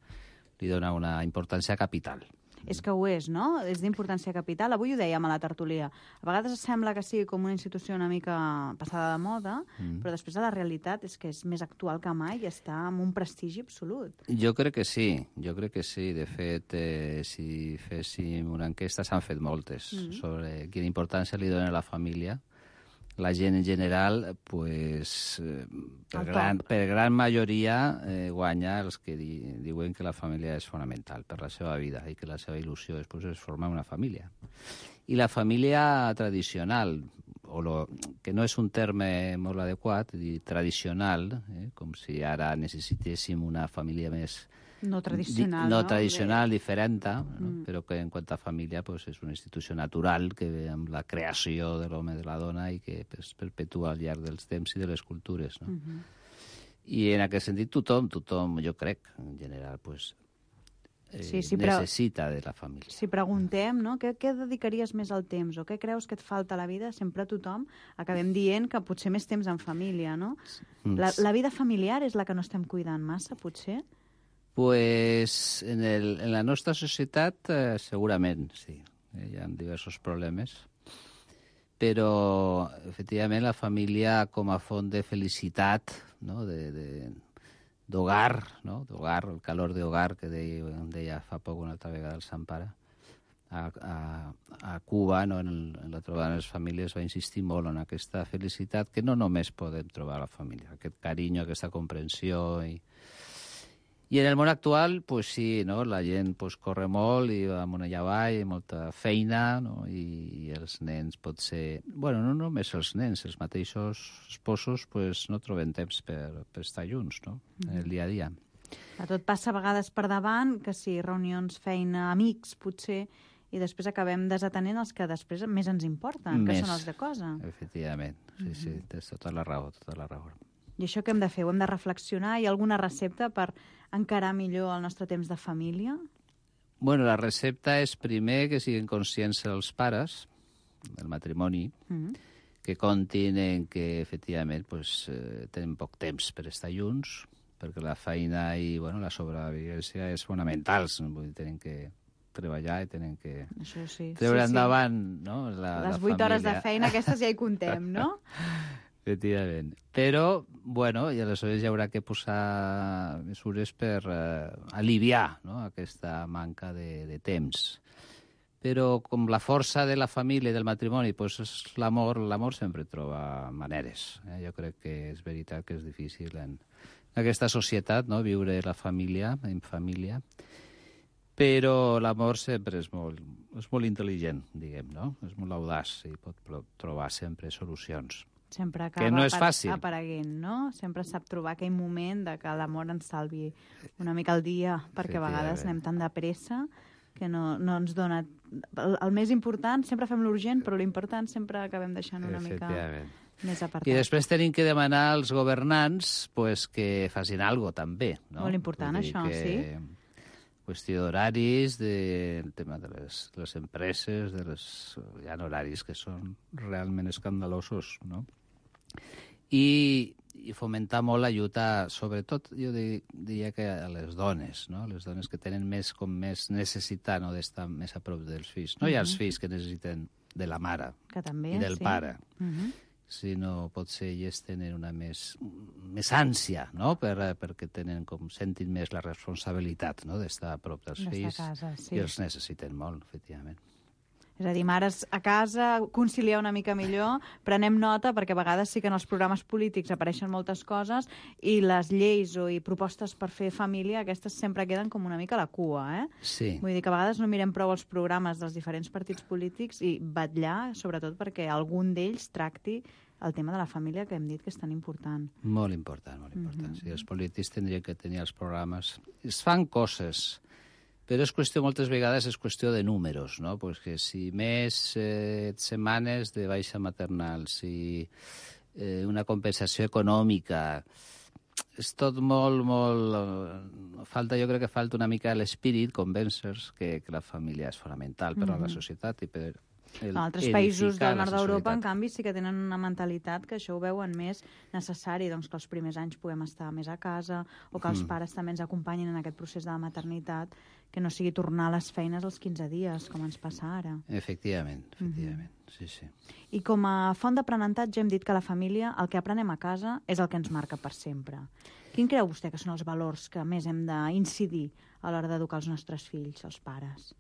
li dona una importància capital. És que ho és, no? És d'importància capital. Avui ho dèiem a la tertúlia. A vegades sembla que sigui com una institució una mica passada de moda, mm. però després la realitat és que és més actual que mai i està amb un prestigi absolut. Jo crec que sí, jo crec que sí. De fet, eh, si féssim una enquesta, s'han fet moltes mm. sobre quina importància li dona a la família. La gent en general, pues, eh, per, gran, per gran majoria eh, guanya els que di, diuen que la família és fonamental per la seva vida i que la seva il·lusió després és formar una família. I la família tradicional, o lo, que no és un terme molt adequat, dir tradicional, eh, com si ara necessitéssim una família més... No tradicional, di, no, no? tradicional, diferent, no? Mm. Però que en quant a família pues, és una institució natural que ve amb la creació de l'home i de la dona i que es perpetua al llarg dels temps i de les cultures. No? Mm-hmm. I en aquest sentit tothom, tothom, jo crec, en general, pues, eh, sí, sí, necessita de la família. Si preguntem, no? Què, què dedicaries més al temps o què creus que et falta a la vida? Sempre tothom acabem dient que potser més temps en família, no? La, la vida familiar és la que no estem cuidant massa, potser? Pues en, el, en la nostra societat eh, segurament, sí. Eh, hi ha diversos problemes. Però, efectivament, la família com a font de felicitat, no? de, de, d'hogar, no? d'hogar, el calor d'hogar que deia, deia fa poc una altra vegada el Sant Pare, a, a, a Cuba, no? en, el, en la trobada de les famílies, va insistir molt en aquesta felicitat que no només podem trobar a la família, aquest carinyo, aquesta comprensió i... I en el món actual, pues sí, no? La gent pues, corre molt i va amunt i avall, molta feina, no? I, i els nens pot ser... Bueno, no només els nens, els mateixos esposos pues, no troben temps per, per estar junts, no? Mm. En el dia a dia. A tot passa a vegades per davant, que sí, reunions, feina, amics, potser, i després acabem desatenent els que després més ens importen, més, que són els de cosa. Efectivament, sí, mm-hmm. sí, tens tota la raó, tota la raó. I això què hem de fer? Ho hem de reflexionar? Hi ha alguna recepta per encarar millor el nostre temps de família? Bueno, la recepta és primer que siguin conscients els pares del matrimoni, mm-hmm. que comptin en que, efectivament, pues, eh, tenen poc temps per estar junts, perquè la feina i bueno, la sobrevivència és fonamental. Vull dir, tenen que treballar i tenen que això sí, treure sí, endavant sí. No? la, les la vuit família. Hores de feina, aquestes ja hi contem, no? Efectivament. Però, bueno, i aleshores hi haurà que posar mesures per eh, aliviar no? aquesta manca de, de temps. Però com la força de la família i del matrimoni pues, és l'amor, l'amor sempre troba maneres. Eh? Jo crec que és veritat que és difícil en aquesta societat no? viure la família en família, però l'amor sempre és molt, és molt intel·ligent, diguem, no? És molt audaç i pot trobar sempre solucions. Sempre acaba que no és fàcil. apareguent, no? Sempre sap trobar aquell moment de que l'amor ens salvi una mica el dia, perquè a vegades anem tan de pressa que no, no ens dona... El, el més important, sempre fem l'urgent, però l'important sempre acabem deixant una mica més apartat. I després tenim que demanar als governants pues, que facin alguna cosa també. No? Molt important, això, que... sí. Qüestió d'horaris, del tema de les, de les empreses, de les, hi ha horaris que són realment escandalosos, no? I, i fomentar molt l'ajuda, sobretot, jo diria que a les dones, no? Les dones que tenen més, com més necessitat no? d'estar més a prop dels fills. No hi ha els fills que necessiten de la mare que també, i del sí. pare. Uh-huh. Sinó potser ells tenen una més, més ànsia, no? Per, perquè tenen com sentin més la responsabilitat no? d'estar a prop dels fills casa, sí. i els necessiten molt, efectivament. És a dir, mares a casa, conciliar una mica millor, prenem nota, perquè a vegades sí que en els programes polítics apareixen moltes coses i les lleis o i propostes per fer família, aquestes sempre queden com una mica a la cua, eh? Sí. Vull dir que a vegades no mirem prou els programes dels diferents partits polítics i vetllar, sobretot, perquè algun d'ells tracti el tema de la família, que hem dit que és tan important. Molt important, molt important. Mhm. Sí, els polítics tindrien que tenir els programes. Es fan coses, però és qüestió, moltes vegades, és qüestió de números, no? Pues que si més eh, setmanes de baixa maternal, si eh, una compensació econòmica, és tot molt, molt... Falta, jo crec que falta una mica l'espírit, convèncer-se que, que la família és fonamental per a la societat i per el, En altres països del nord d'Europa, en societat. canvi, sí que tenen una mentalitat que això ho veuen més necessari, doncs que els primers anys puguem estar més a casa o que els Mm. pares també ens acompanyin en aquest procés de la maternitat, que no sigui tornar a les feines als quinze dies, com ens passa ara. Efectivament, efectivament, sí, sí. I com a font d'aprenentatge hem dit que la família, el que aprenem a casa, és el que ens marca per sempre. Quin creu vostè que són els valors que més hem d'incidir a l'hora d'educar els nostres fills, els pares?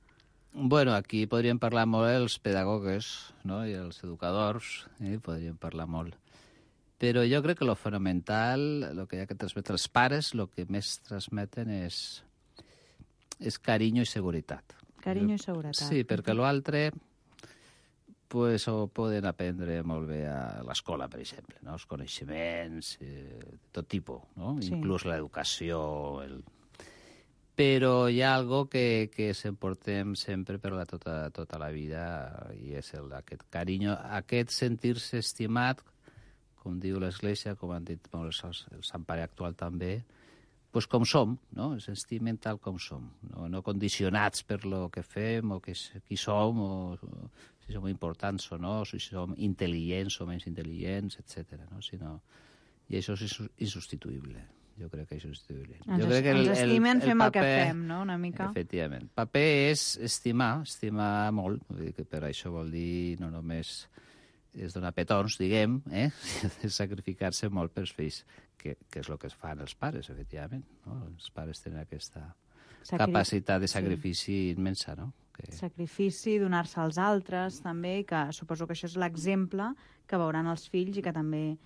Bueno, aquí podríem parlar molt els pedagogues, no?, i els educadors, eh? podríem parlar molt. Però jo crec que lo fonamental, el que hi ha que transmetre els pares, el que més transmeten és, és carinyo i seguretat. Carinyo i seguretat. Sí, perquè l'altre pues, ho poden aprendre molt bé a l'escola, per exemple, no? Els coneixements, eh, tot tipus, no? Sí. Inclús l'educació, el... Però hi ha algo que, que s'emportem sempre per la tota, tota la vida i és el, aquest carinyo, aquest sentir-se estimat, com diu l'Església, com han dit molt els, el Sant Pare actual també, pues com som, no? Ens estimen tal com som, no, no condicionats per lo que fem o que, qui som, o, o si som importants o no, si som intel·ligents o menys intel·ligents, etcètera, no? Sinó, i això és insubstituïble. Jo crec que això és insubstituïble. Ens, jo crec que el, ens estimen, el, el fem paper, el que fem, no?, una mica. Efectivament. Paper és estimar, estimar molt, vull dir que per això vol dir no només és donar petons, diguem, eh? sacrificar-se molt pels fills, que, que és el que fan els pares, efectivament. No? Els pares tenen aquesta Sacri... capacitat de sacrifici sí. immensa, no? Que... Sacrifici, donar-se als altres, també, i que suposo que això és l'exemple que veuran els fills i que també...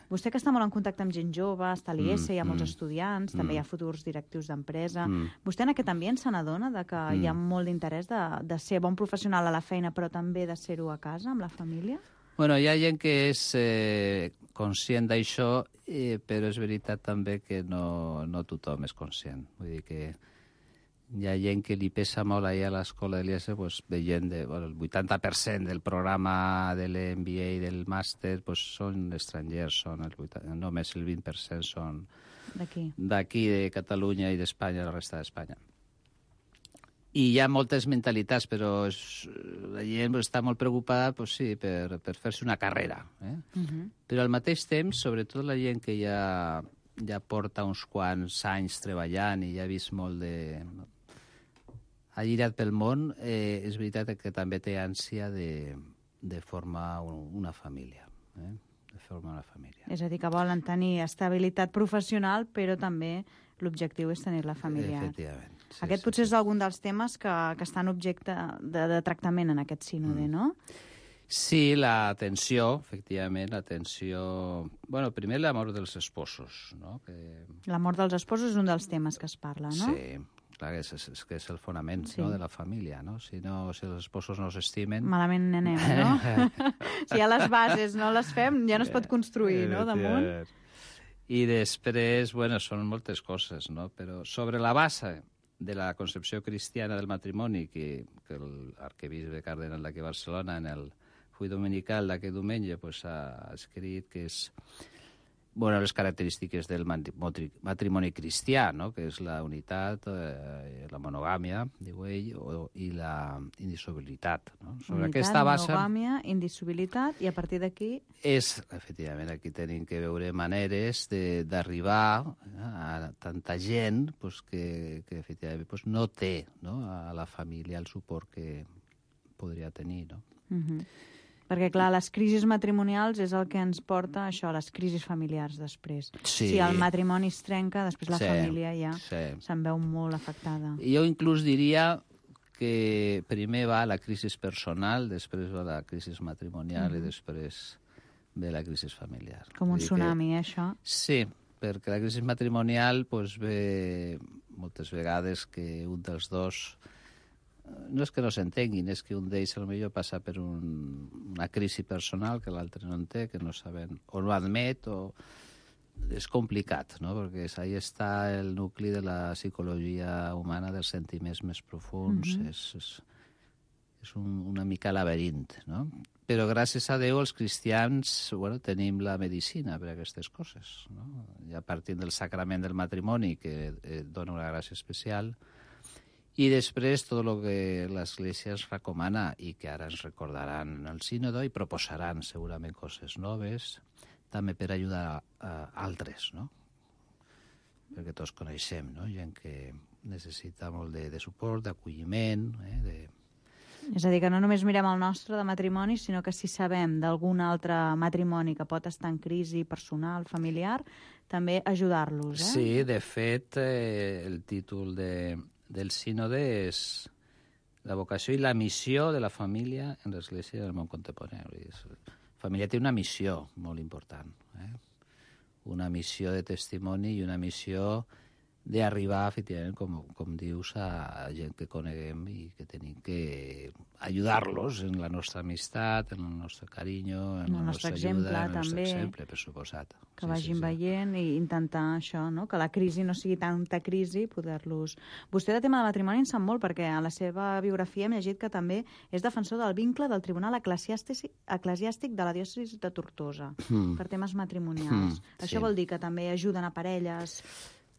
Vostè que està molt en contacte amb gent jove, està a l'I S, mm, hi ha molts mm, estudiants, mm, també hi ha futurs directius d'empresa. Mm. Vostè en aquest ambient se n'adona de que mm. hi ha molt d'interès de, de ser bon professional a la feina, però també de ser-ho a casa, amb la família? Bueno, hi ha gent que és eh, conscient d'això, eh, però és veritat també que no, no tothom és conscient. Vull dir que hi ha gent que li pesa molt allà a l'escola de l'I S, pues, veient de, bueno, el vuitanta per cent del programa de l'M B A i del màster pues, són estrangers, són el vuitanta, només el vint per cent són d'aquí, de Catalunya i d'Espanya, la resta d'Espanya. I hi ha moltes mentalitats, però és, la gent està molt preocupada pues, sí, per, per fer-se una carrera. Eh? Uh-huh. Però al mateix temps, sobretot la gent que ja, ja porta uns quants anys treballant i ja ha vist molt de... ha girat pel món, eh, és veritat que també té ànsia de, de formar un, una família. Eh? De formar una família. És a dir, que volen tenir estabilitat professional, però també l'objectiu és tenir-la familiar. Efectivament. Sí, aquest sí, potser sí. és algun dels temes que, que estan objecte de, de tractament en aquest sínode, mm. no? Sí, l'atenció, efectivament, l'atenció... Bueno, primer l'amor dels esposos, no? Que... L'amor dels esposos és un dels temes que es parla, no? Sí, clar, és, és, és que és el fonament sí. no, de la família, no? Si, no? si els esposos no s'estimen... Malament anem, no? Si ja les bases no les fem, ja no es pot construir, no?, damunt. I després, bueno, són moltes coses, no? Però sobre la base de la concepció cristiana del matrimoni que, que l'arquebisbe cardenal d'aquí a Barcelona en el full dominical d'aquest diumenge pues, ha escrit que és bueno, les característiques del matrimoni cristià, no? Que és la unitat, eh, la monogàmia, diu ell, o, i la indissolubilitat. No? Sobre unitat, aquesta base... monogàmia, indissolubilitat, i a partir d'aquí... És, efectivament, aquí tenim que veure maneres d'arribar a tanta gent pues, que, que efectivament pues, no té no? a la família el suport que podria tenir, no? Uh-huh. Perquè, clar, les crisis matrimonials és el que ens porta a això, a les crisis familiars després. Sí. Si el matrimoni es trenca, després la sí. família ja sí. se'n veu molt afectada. Jo inclús diria que primer va la crisi personal, després va la crisi matrimonial mm. i després ve la crisi familiar. Com un tsunami, que... eh, això? Sí, perquè la crisi matrimonial pues, ve moltes vegades que un dels dos no és que no s'entenguin, és que un d'ells potser passa per un, una crisi personal que l'altre no en té, que no saben, o no admet, o és complicat, no? Perquè ahí està el nucli de la psicologia humana, dels sentiments més profuns, mm-hmm. és, és, és un, una mica laberint, no? Però gràcies a Déu els cristians, bueno, tenim la medicina per a aquestes coses, no? Ja partint del sacrament del matrimoni, que eh, dona una gràcia especial, i després tot el que l'Església ens recomana i que ara ens recordaran en el sínodo i proposaran segurament coses noves, també per ajudar a, a altres, no? Perquè tots coneixem, no? Gent que necessita molt de, de suport, d'acolliment, eh? de... És a dir, que no només mirem el nostre de matrimoni, sinó que si sabem d'algun altre matrimoni que pot estar en crisi personal, familiar, també ajudar-los, eh? Sí, de fet, eh, el títol de, del sínode és la vocació i la missió de la família en l'Església del món contemporani. La família té una missió molt important, eh? Una missió de testimoni i una missió d'arribar, efectivament, com, com dius, a gent que coneguem i que tenim que ajudar-los en la nostra amistat, en el nostre carinyo, en el la nostra exemple, ajuda, en el nostre també, exemple, per suposat. Que sí, vagin sí, sí. veient i intentar això, no? Que la crisi no sigui tanta crisi, poder-los... Vostè de tema de matrimoni en sap molt, perquè a la seva biografia hem llegit que també és defensor del vincle del Tribunal Eclesiàstic, eclesiàstic de la diòcesi de Tortosa, mm. per temes matrimonials. Mm, això sí. vol dir que també ajuden a parelles...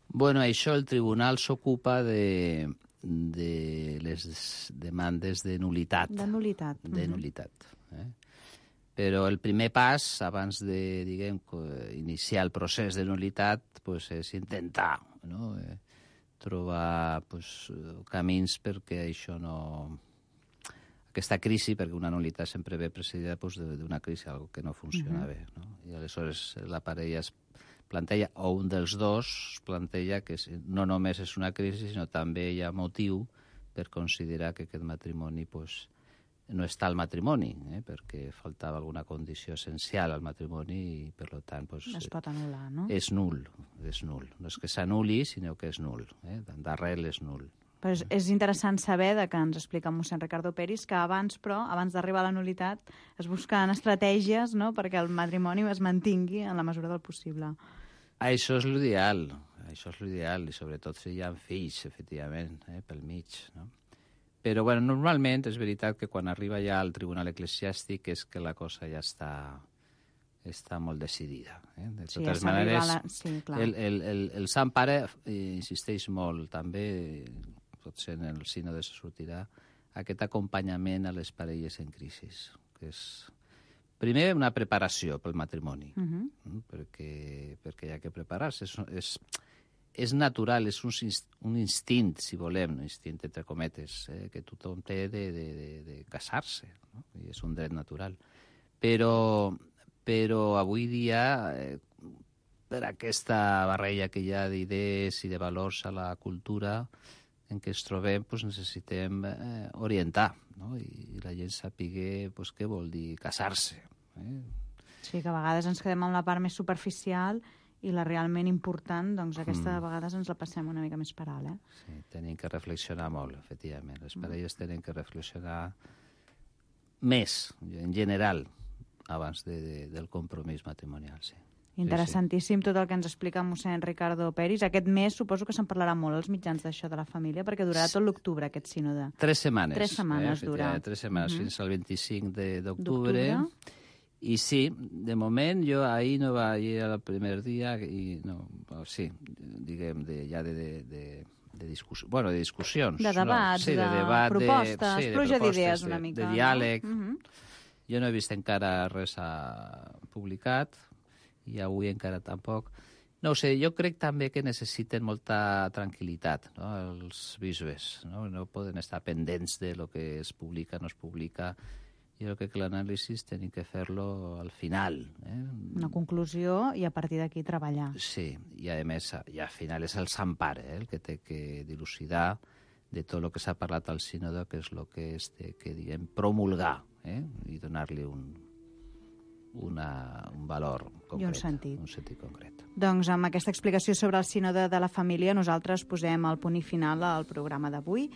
Bueno, això el tribunal s'ocupa de, de les demandes de nulitat. De nulitat. De uh-huh. nulitat. Eh? Però el primer pas, abans de, diguem, iniciar el procés de nulitat, pues, és intentar, no? eh, trobar pues, camins perquè això no... Aquesta crisi, perquè una nulitat sempre ve precedida pues, d'una crisi, algo que no funciona uh-huh. bé. No? I aleshores la parella es planteja, o un dels dos planteja que no només és una crisi, sinó també hi ha motiu per considerar que aquest matrimoni pues, no està al matrimoni, eh? perquè faltava alguna condició essencial al matrimoni i, per tant, pues, es pot anul·lar, no? És nul, és nul. No és que s'anul·li, sinó que és nul. Eh? D'arrel és nul. Però és, és interessant saber, de que ens explica mossèn Ricardo Peris, que abans, però, abans d'arribar a la nulitat, es busquen estratègies, no?, perquè el matrimoni es mantingui en la mesura del possible. Això és l'ideal, això és l'ideal, i sobretot si hi ha fills, efectivament, eh, pel mig, no? Però, bueno, normalment és veritat que quan arriba ja al tribunal eclesiàstic és que la cosa ja està, està molt decidida. Eh? De sí, totes ja maneres, la... sí, clar. el, el, el, el Sant Pare insisteix molt, també, potser en el sínode se sortirà, aquest acompanyament a les parelles en crisi, que és... Primer, una preparació pel matrimoni, uh-huh. perquè, perquè hi ha que preparar-se. És, és, és natural, és un, un instint, si volem, un instint entre cometes, eh, que tothom té de, de, de, de casar-se, no? I és un dret natural. Però, però avui dia, eh, per aquesta barreja que hi ha d'idees i de valors a la cultura en què ens trobem, pues, necessitem eh, orientar, no? I, i la gent sàpiga pues, què vol dir casar-se. Eh? Sí, que a vegades ens quedem amb la part més superficial i la realment important, doncs aquesta mm. a vegades ens la passem una mica més per alt, eh? Sí, tenim que reflexionar molt, efectivament. Les parelles mm. tenen que reflexionar més, en general, abans de, de, del compromís matrimonial, sí. Interessantíssim tot el que ens explica mossèn Ricardo Peris. Aquest mes suposo que se'n parlarà molt als mitjans d'això de la família, perquè durarà tot l'octubre, aquest sínode. Tres setmanes. Tres setmanes eh? durà. Tres setmanes, uh-huh. fins al vint-i-cinc d'octubre. I sí, de moment jo ahir no vaig ir al primer dia, i no, sí, diguem, de, ja de... de, de de discussió, bueno, de discussions. De debats, no? Sí, de, de debat, propostes, de, sí, pluja d'idees una de, mica. De diàleg. No? Uh-huh. Jo no he vist encara res a... publicat, i avui encara tampoc. No ho sé, jo crec també que necessiten molta tranquil·litat, no? Els bisbes, no? No poden estar pendents de lo que es publica, no es publica. Jo crec que l'anàlisi tenim que fer-lo al final. Eh? Una conclusió i a partir d'aquí treballar. Sí, i a més, i al final és el Sant Pare eh? el que té que dilucidar de tot el que s'ha parlat al sínode, que és el que es té que, diguem, promulgar eh? i donar-li un, una, un valor concret. I un sentit. Un sentit concret. Doncs amb aquesta explicació sobre el sínode de la família nosaltres posem el punt i final al programa d'avui.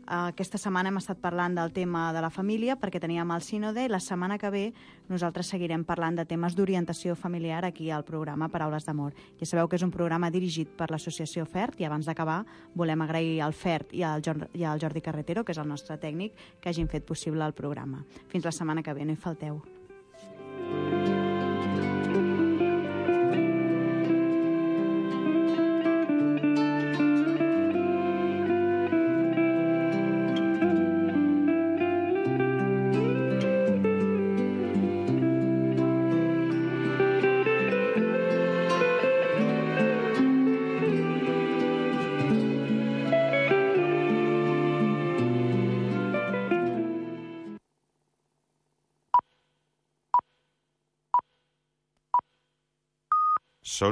Aquesta setmana hem estat parlant del tema de la família perquè teníem el sínode i la setmana que ve nosaltres seguirem parlant de temes d'orientació familiar aquí al programa Paraules d'Amor. Ja sabeu que és un programa dirigit per l'associació FERT i abans d'acabar volem agrair al FERT i al Jordi Carretero, que és el nostre tècnic, que hagin fet possible el programa. Fins la setmana que ve, no hi falteu.